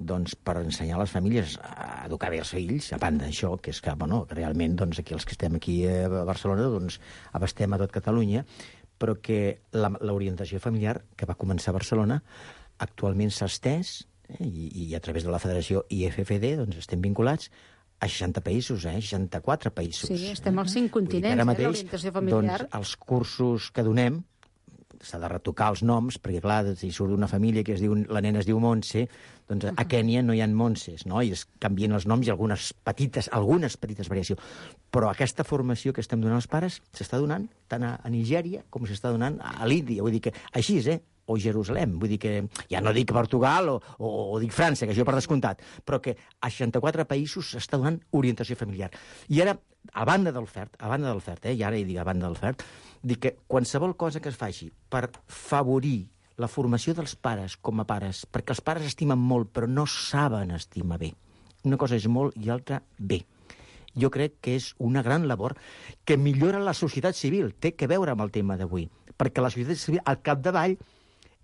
doncs, per ensenyar a les famílies a educar bé els fills, a banda d'això, que és que, bueno, realment, doncs, aquí els que estem aquí a Barcelona, doncs, abastem a tot Catalunya, però que l'orientació familiar que va començar a Barcelona actualment s'ha estès, i a través de la Federació IFFD doncs, estem vinculats a 60 països, 64 països. Sí, estem als 5 continents, l'orientació familiar. Doncs, els cursos que donem, s'ha de retocar els noms, perquè, clar, si surt d'una família que la nena es diu Montse, doncs a Kènia no hi ha Montses, no? I es canvien els noms i algunes petites variacions. Però aquesta formació que estem donant als pares s'està donant tant a Nigèria com s'està donant a l'Índia. Vull dir que així és, o Jerusalem. Vull dir que, ja no dic Portugal o dic França, que això per descomptat, però que a 64 països s'està donant orientació familiar. I ara, a banda del FERT, i ara hi dic a banda del FERT, dic que qualsevol cosa que es faci per favorir la formació dels pares com a pares, perquè els pares estimen molt, però no saben estimar bé. Una cosa és molt i l'altra bé. Jo crec que és una gran labor que millora la societat civil, té que veure amb el tema d'avui, perquè la societat civil, al capdavall,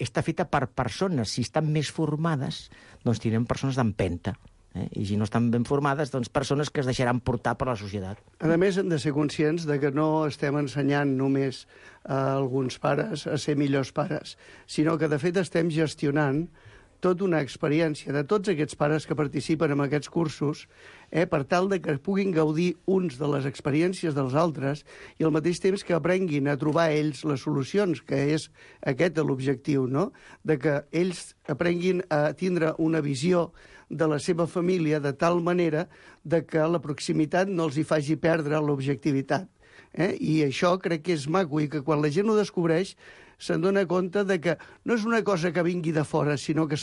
està feta per persones. Si estan més formades, doncs tindrem persones d'empenta. I si no estan ben formades, doncs persones que es deixaran portar per la societat. A més, hem de ser conscients de que no estem ensenyant només a alguns pares a ser millors pares, sinó que, de fet, estem gestionant tota una experiència de tots aquests pares que participen en aquests cursos, per tal de que puguin gaudir uns de les experiències dels altres i al mateix temps que aprenguin a trobar ells les solucions, que és aquest l'objectiu, no? De que ells aprenguin a tindre una visió de la seva família de tal manera de que la proximitat no els hi faci perdre l'objectivitat. I això crec que és maco i que quan la gent ho descobreix se'n dona compte de que no és una cosa que vingui de fora, sinó que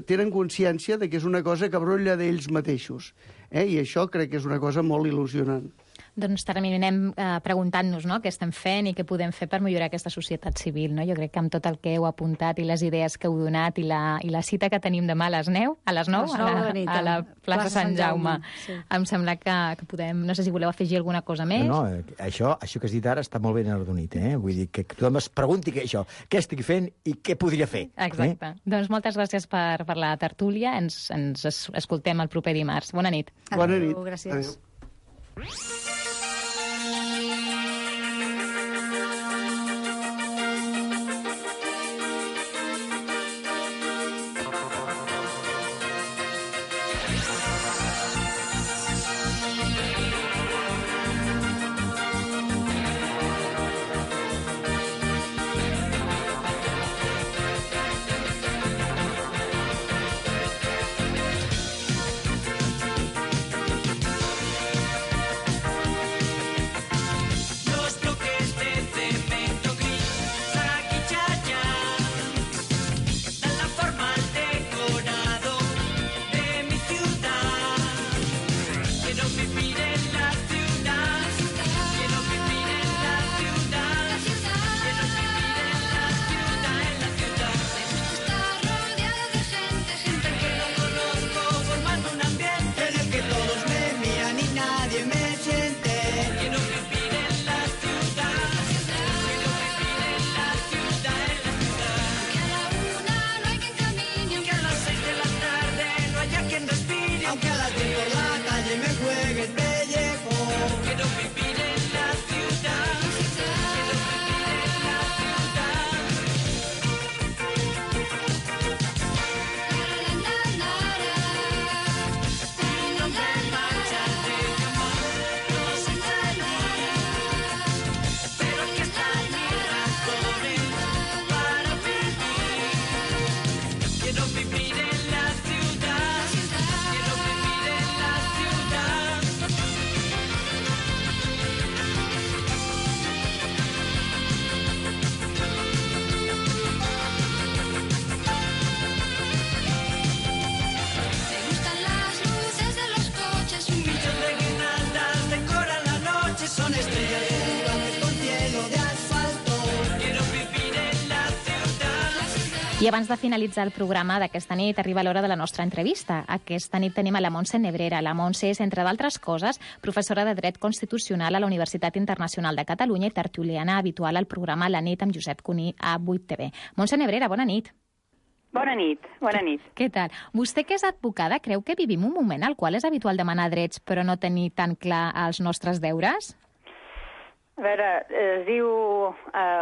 tenen consciència de que és una cosa que brolla d'ells mateixos. I això crec que és una cosa molt il·lusionant. Doncs terminem preguntant-nos, no?, què estem fent i què podem fer per millorar aquesta societat civil, no? Jo crec que amb tot el que heu apuntat i les idees que heu donat i la cita que tenim demà a les 9, a la plaça Sant Jaume, sí. Em sembla que podem... No sé si voleu afegir alguna cosa més. No, això que has dit ara està molt ben arrodonit, Vull dir que tothom es pregunti això, què estic fent i què podria fer. Exacte. Doncs moltes gràcies per la tertúlia. Ens escoltem el proper dimarts. Bona nit. Bona nit. Gràcies. Adéu. I abans de finalitzar el programa d'aquesta nit, arriba l'hora de la nostra entrevista. Aquesta nit tenim a la Montse Nebrera. La Montse és, entre d'altres coses, professora de Dret Constitucional a la Universitat Internacional de Catalunya i tertuliana habitual al programa La nit amb Josep Cuní a 8TV. Montse Nebrera, bona nit. Bona nit, bona nit. Què tal? Vostè, que és advocada, creu que vivim un moment al qual és habitual demanar drets però no tenir tan clar els nostres deures? A veure, es diu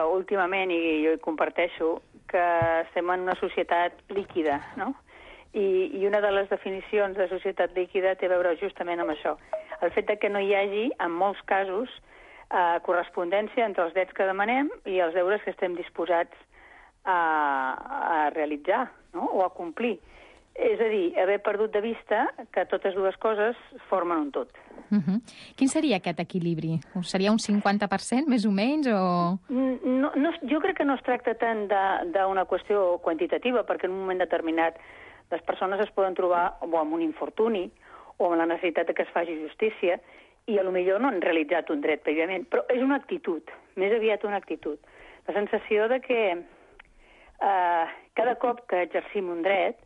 últimament, i jo hi comparteixo, que estem en una societat líquida, no? I una de les definicions de societat líquida té a veure justament amb això. El fet que no hi hagi, en molts casos, correspondència entre els drets que demanem i els deures que estem disposats a realitzar, no? O a complir. És a dir, haver perdut de vista que totes dues coses formen un tot. Quin seria aquest equilibri? Seria un 50%, més o menys? O... No, jo crec que no es tracta tant d'una qüestió quantitativa, perquè en un moment determinat les persones es poden trobar o amb un infortuni o amb la necessitat que es faci justícia i potser no han realitzat un dret prèviament, però és una actitud, més aviat una actitud. La sensació de que cada cop que exercim un dret,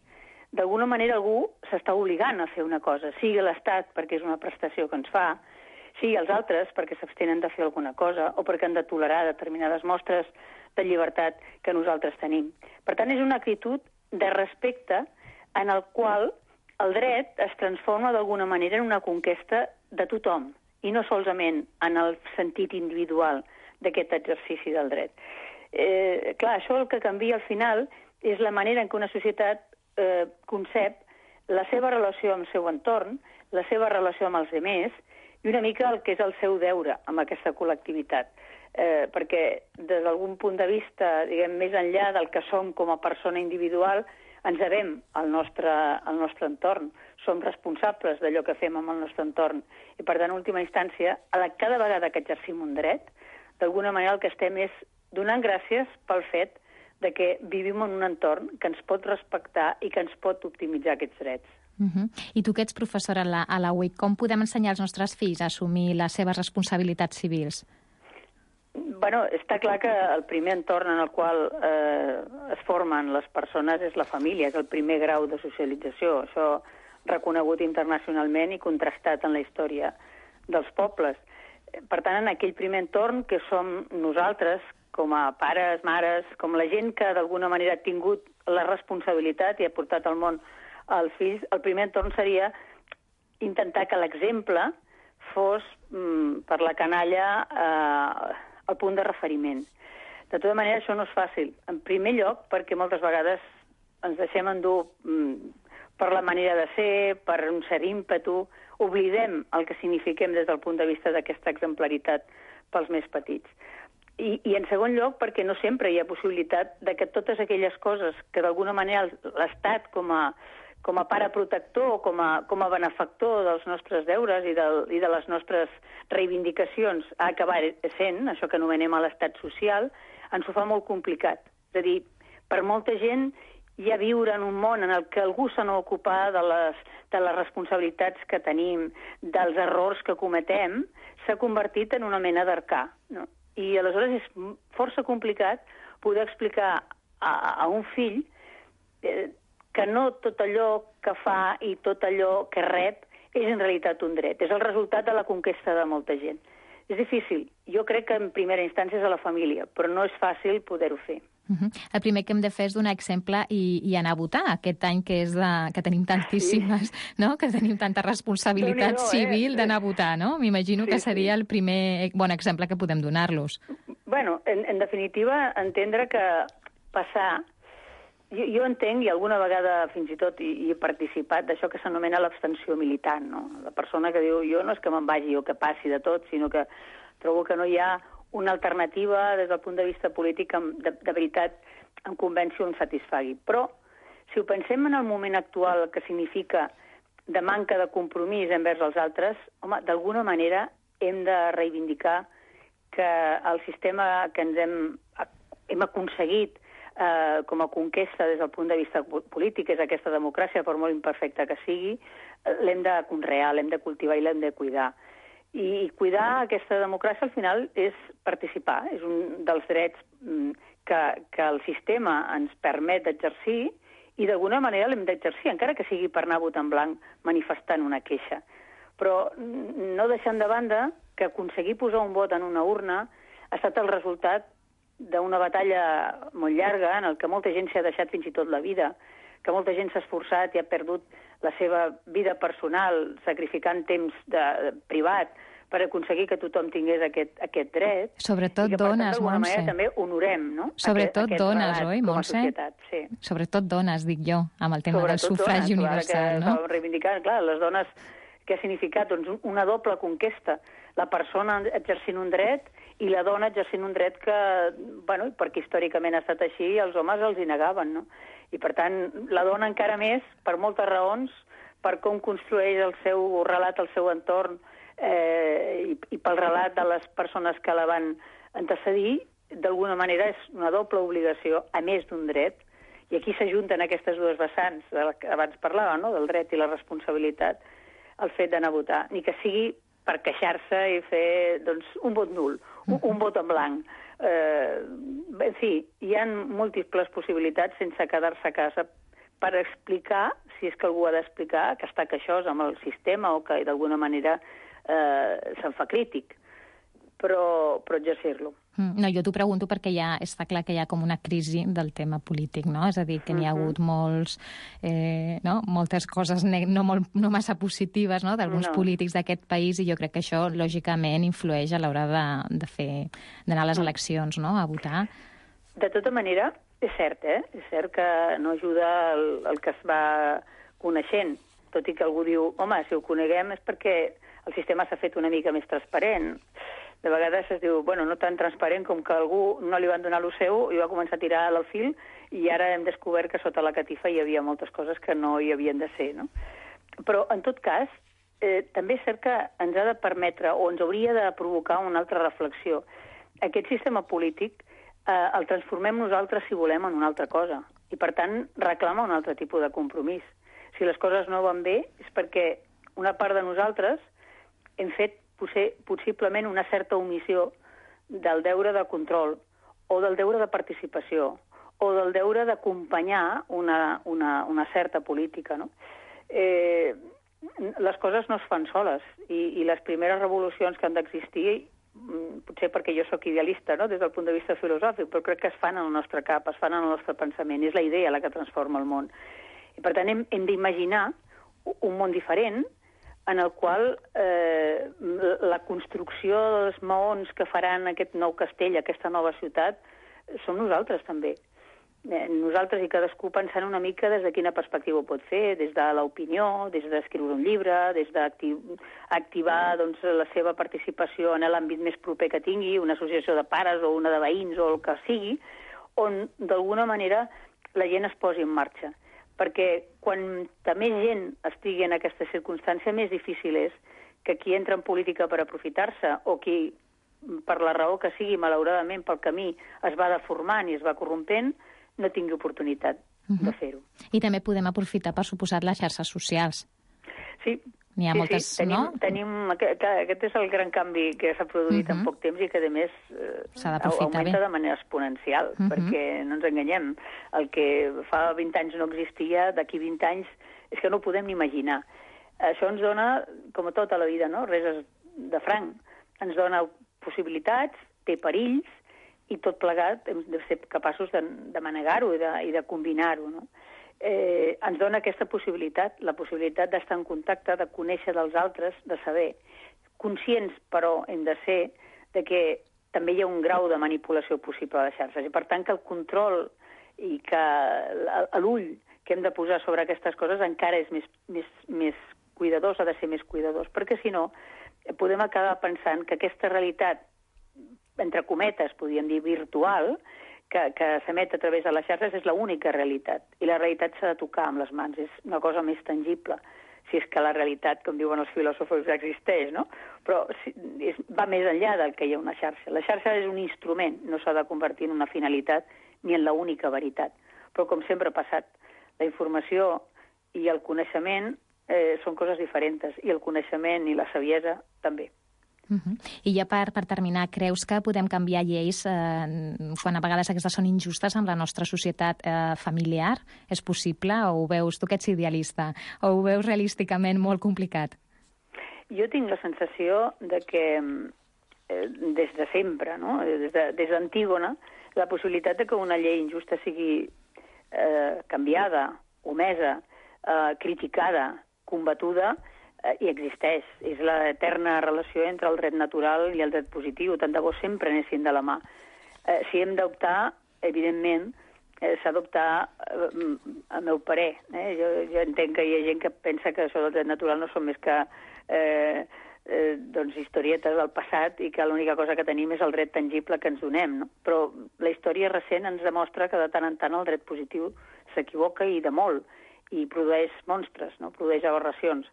d'alguna manera algú s'està obligant a fer una cosa, sigui l'Estat perquè és una prestació que ens fa, sigui els altres perquè s'abstenen de fer alguna cosa o perquè han de tolerar determinades mostres de llibertat que nosaltres tenim. Per tant, és una actitud de respecte en el qual el dret es transforma d'alguna manera en una conquesta de tothom i no solament en el sentit individual d'aquest exercici del dret. Clar, això el que canvia al final és la manera en què una societat concep la seva relació amb el seu entorn, la seva relació amb els altres i una mica el que és el seu deure amb aquesta col·lectivitat. Perquè des d'algun punt de vista, diguem, més enllà del que som com a persona individual, ens devem al nostre entorn. Som responsables d'allò que fem amb el nostre entorn. I, per tant, en última instància, cada vegada que exercim un dret, d'alguna manera el que estem és donant gràcies pel fet de que vivim en un entorn que ens pot respectar i que ens pot optimitzar aquests drets. I tu que ets professora a la UIC, com podem ensenyar als nostres fills a assumir les seves responsabilitats civils? Bueno, està clar que el primer entorn en el qual es formen les persones és la família, és el primer grau de socialització. Això reconegut internacionalment i contrastat en la història dels pobles. Per tant, en aquell primer entorn que som nosaltres, com a pares, mares, com la gent que d'alguna manera ha tingut la responsabilitat i ha portat al món els fills, el primer entorn seria intentar que l'exemple fos per la canalla el punt de referiment. De tota manera, això no és fàcil. En primer lloc, perquè moltes vegades ens deixem endur per la manera de ser, per un cert ímpetu, oblidem el que signifiquem des del punt de vista d'aquesta exemplaritat pels més petits. I en segon lloc, perquè no sempre hi ha possibilitat de que totes aquelles coses que d'alguna manera l'Estat com a pare protector, com a benefactor dels nostres deures i de les nostres reivindicacions ha acabat sent, això que anomenem a l'estat social, ens ho fa molt complicat. És a dir, per molta gent ja viure en un món en el que algú se n'ocupa de les responsabilitats que tenim, dels errors que cometem, s'ha convertit en una mena d'arcà, no? I aleshores és força complicat poder explicar a un fill que no tot allò que fa i tot allò que rep és en realitat un dret. És el resultat de la conquesta de molta gent. És difícil. Jo crec que en primera instància és a la família, però no és fàcil poder-ho fer. El primer que hem de fer és donar exemple i anar a votar aquest any que tenim tantíssimes, no? Que tenim tanta responsabilitat civil d'anar a votar, no? M'imagino que seria el primer bon exemple que podem donar-los. Bueno, en definitiva, entendre que passar... Jo entenc, i alguna vegada fins i tot hi he participat, d'això que s'anomena l'abstenció militant, no? La persona que diu, jo no és que me'n vagi o que passi de tot, sinó que trobo que no hi ha una alternativa des del punt de vista polític de veritat em convenci o em satisfagui. Però, si ho pensem en el moment actual, que significa de manca de compromís envers els altres, home, d'alguna manera hem de reivindicar que el sistema que ens hem aconseguit com a conquesta des del punt de vista polític, és aquesta democràcia, per molt imperfecta que sigui, l'hem de conrear, l'hem de cultivar i l'hem de cuidar. I cuidar aquesta democràcia, al final, és participar. És un dels drets que el sistema ens permet d'exercir i d'alguna manera l'hem d'exercir, encara que sigui per anar a vot en blanc manifestant una queixa. Però no deixant de banda que aconseguir posar un vot en una urna ha estat el resultat d'una batalla molt llarga en el que molta gent s'ha deixat fins i tot la vida, que molta gent s'ha esforçat i ha perdut la seva vida personal sacrificant temps privat per aconseguir que tothom tingués aquest dret. Sobretot i que, dones, d'alguna Montse. manera també honorem, no? Sobretot dones, oi, Montse? Sí. Sobretot dones, dic jo, amb el tema del sufragi universal, no? Reivindicant, clar, les dones, què ha significat? Doncs una doble conquesta. La persona exercint un dret i la dona exercint un dret que, bueno, perquè històricament ha estat així, els homes els hi negaven, no? I, per tant, la dona encara més, per moltes raons, per com construeix el seu relat, el seu entorn, i pel relat de les persones que la van antecedir, d'alguna manera és una doble obligació, a més d'un dret, i aquí s'ajunten aquestes dues vessants, que abans parlava, no?, del dret i la responsabilitat, el fet d'anar a votar, ni que sigui per queixar-se i fer, doncs, un vot nul, un vot en blanc. En fi, hi ha múltiples possibilitats sense quedar-se a casa per explicar, si és que algú ha d'explicar, que està queixós amb el sistema o que d'alguna manera se'n fa crític, però exercir-lo. No, jo t'ho pregunto perquè està clar que hi ha com una crisi del tema polític, no? És a dir, que n'hi ha hagut moltes coses no massa positives, no?, d'alguns polítics d'aquest país, i jo crec que això, lògicament, influeix a l'hora d'anar a les eleccions, no?, a votar. De tota manera, és cert, És cert que no ajuda el que es va coneixent, tot i que algú diu, home, si ho coneguem és perquè el sistema s'ha fet una mica més transparent. De vegades es diu, bueno, no tan transparent com que algú no li van donar lo seu i va començar a tirar el fil i ara hem descobert que sota la catifa hi havia moltes coses que no hi havien de ser, no? Però, en tot cas, també és cert que ens ha de permetre o ens hauria de provocar una altra reflexió. Aquest sistema polític el transformem nosaltres, si volem, en una altra cosa i, per tant, reclama un altre tipus de compromís. Si les coses no van bé és perquè una part de nosaltres hem fet possiblement una certa omissió del deure de control o del deure de participació o del deure d'acompanyar una certa política, no? Les coses no es fan soles i les primeres revolucions que han d'existir, potser perquè jo sóc idealista, no?, des del punt de vista filosòfic, però crec que es fan en el nostre cap, es fan en el nostre pensament, és la idea la que transforma el món. I, per tant, hem d'imaginar un món diferent en el qual la construcció dels maons que faran aquest nou castell, aquesta nova ciutat, som nosaltres també. Nosaltres i cadascú pensant una mica des de quina perspectiva ho pot fer, des de l'opinió, des d'escriure un llibre, des d'activar la seva participació en l'àmbit més proper que tingui, una associació de pares o una de veïns o el que sigui, on d'alguna manera la gent es posi en marxa. Perquè quan més gent estigui en aquesta circumstància, més difícil és que qui entra en política per aprofitar-se o qui, per la raó que sigui, malauradament pel camí es va deformant i es va corrompent, no tingui oportunitat de fer-ho. I també podem aprofitar, per suposat, les xarxes socials. Sí. N'hi ha moltes, no? Aquest és el gran canvi que s'ha produït en poc temps i que, a més, augmenta de manera exponencial, perquè no ens enganyem. El que fa 20 anys no existia, d'aquí 20 anys és que no ho podem ni imaginar. Això ens dona, com a tota la vida, no?, res de franc. Ens dona possibilitats, té perills, i tot plegat hem de ser capaços de manegar-ho i de combinar-ho, no? Ens dona aquesta possibilitat, la possibilitat d'estar en contacte, de conèixer dels altres, de saber. Conscients, però, hem de ser de que també hi ha un grau de manipulació possible a les xarxes. I, per tant, que el control i que l'ull que hem de posar sobre aquestes coses encara és més cuidadós, ha de ser més cuidadós, perquè, si no, podem acabar pensant que aquesta realitat, entre cometes, podríem dir, virtual, que s'emet a través de les xarxes és l'única realitat. I la realitat s'ha de tocar amb les mans, és una cosa més tangible, si és que la realitat, com diuen els filòsofs, existeix, no? Però va més enllà del que hi ha una xarxa. La xarxa és un instrument, no s'ha de convertir en una finalitat ni en l'única veritat. Però, com sempre ha passat, la informació i el coneixement són coses diferents, i el coneixement i la saviesa també. I ja per terminar, creus que podem canviar lleis quan a vegades aquestes són injustes amb la nostra societat familiar? És possible o ho veus, tu que ets idealista, o ho veus realísticament molt complicat? Jo tinc la sensació de que des de sempre, no? Des d'Antígona, la possibilitat de que una llei injusta sigui canviada, omesa, criticada, combatuda, i existeix. És l'eterna relació entre el dret natural i el dret positiu. Tant de bo sempre anessin de la mà. Si hem d'optar, evidentment, s'ha d'optar a meu parer. Jo entenc que hi ha gent que pensa que això del dret natural no són més que historietes del passat i que l'única cosa que tenim és el dret tangible que ens donem. No? Però la història recent ens demostra que de tant en tant el dret positiu s'equivoca i de molt, i produeix monstres, no? Produeix aberracions.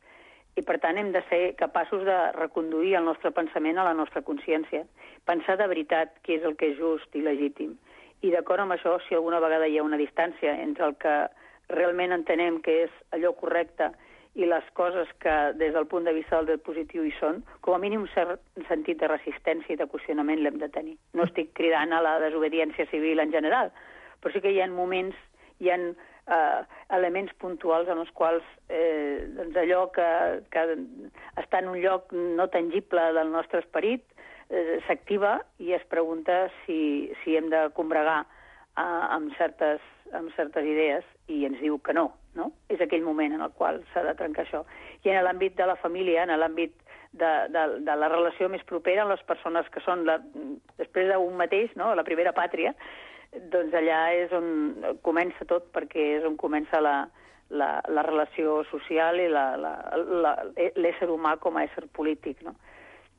I, per tant, hem de ser capaços de reconduir el nostre pensament a la nostra consciència. Pensar de veritat què és el que és just i legítim. I d'acord amb això, si alguna vegada hi ha una distància entre el que realment entenem que és allò correcte i les coses que, des del punt de vista del dret positiu, hi són, com a mínim un cert sentit de resistència i de qüestionament l'hem de tenir. No estic cridant a la desobediència civil en general, però sí que hi ha moments, hi ha elements puntuals en els quals allò que està en un lloc no tangible del nostre esperit s'activa i es pregunta si hem de combregar amb certes idees i ens diu que no. És aquell moment en el qual s'ha de trencar això. I en l'àmbit de la família, en l'àmbit de la relació més propera amb les persones que són, després d'un mateix, no? La primera pàtria, doncs allà és on comença tot, perquè és on comença la relació social i l'ésser humà com a ésser polític. No?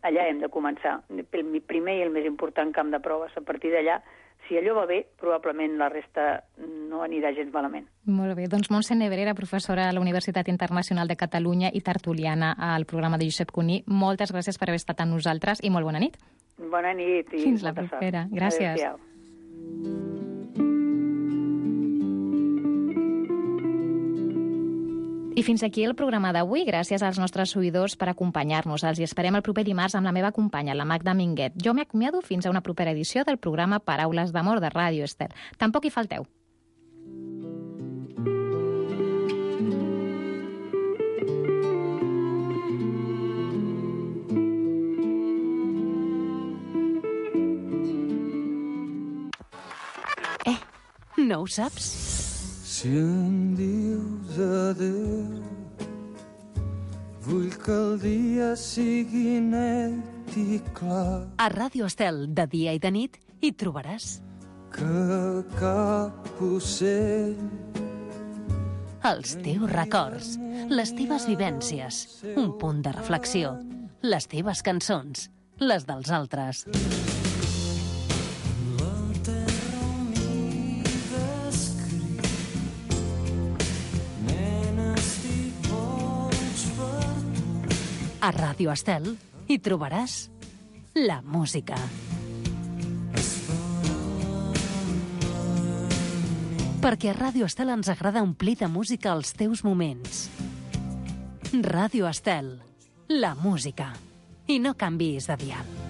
Allà hem de començar. El primer i el més important camp de proves. A partir d'allà, si allò va bé, probablement la resta no anirà gens malament. Molt bé. Doncs Montse Nebrera, professora a la Universitat Internacional de Catalunya i tertuliana al programa de Josep Cuní, moltes gràcies per haver estat amb nosaltres i molt bona nit. Bona nit i fins la propera. Gràcies. Adéu-siau. I fins aquí el programa d'avui. Gràcies als nostres oïdors per acompanyar-nos. Els esperem el proper dimarts amb la meva companya, la Magda Minguet. Jo m'acomiado fins a una propera edició del programa Paraules d'Amor de Ràdio Estel. Tampoc hi falteu. No ho saps? Si em dius adéu, vull que el dia sigui net i clar. A Ràdio Estel, de dia i de nit, hi trobaràs que cap ocell, els teus records, les teves vivències, un punt de reflexió, les teves cançons, les dels altres. A Ràdio Estel hi trobaràs la música. Perquè a Ràdio Estel ens agrada omplir de música els teus moments. Ràdio Estel, la música. I no canviïs de dial.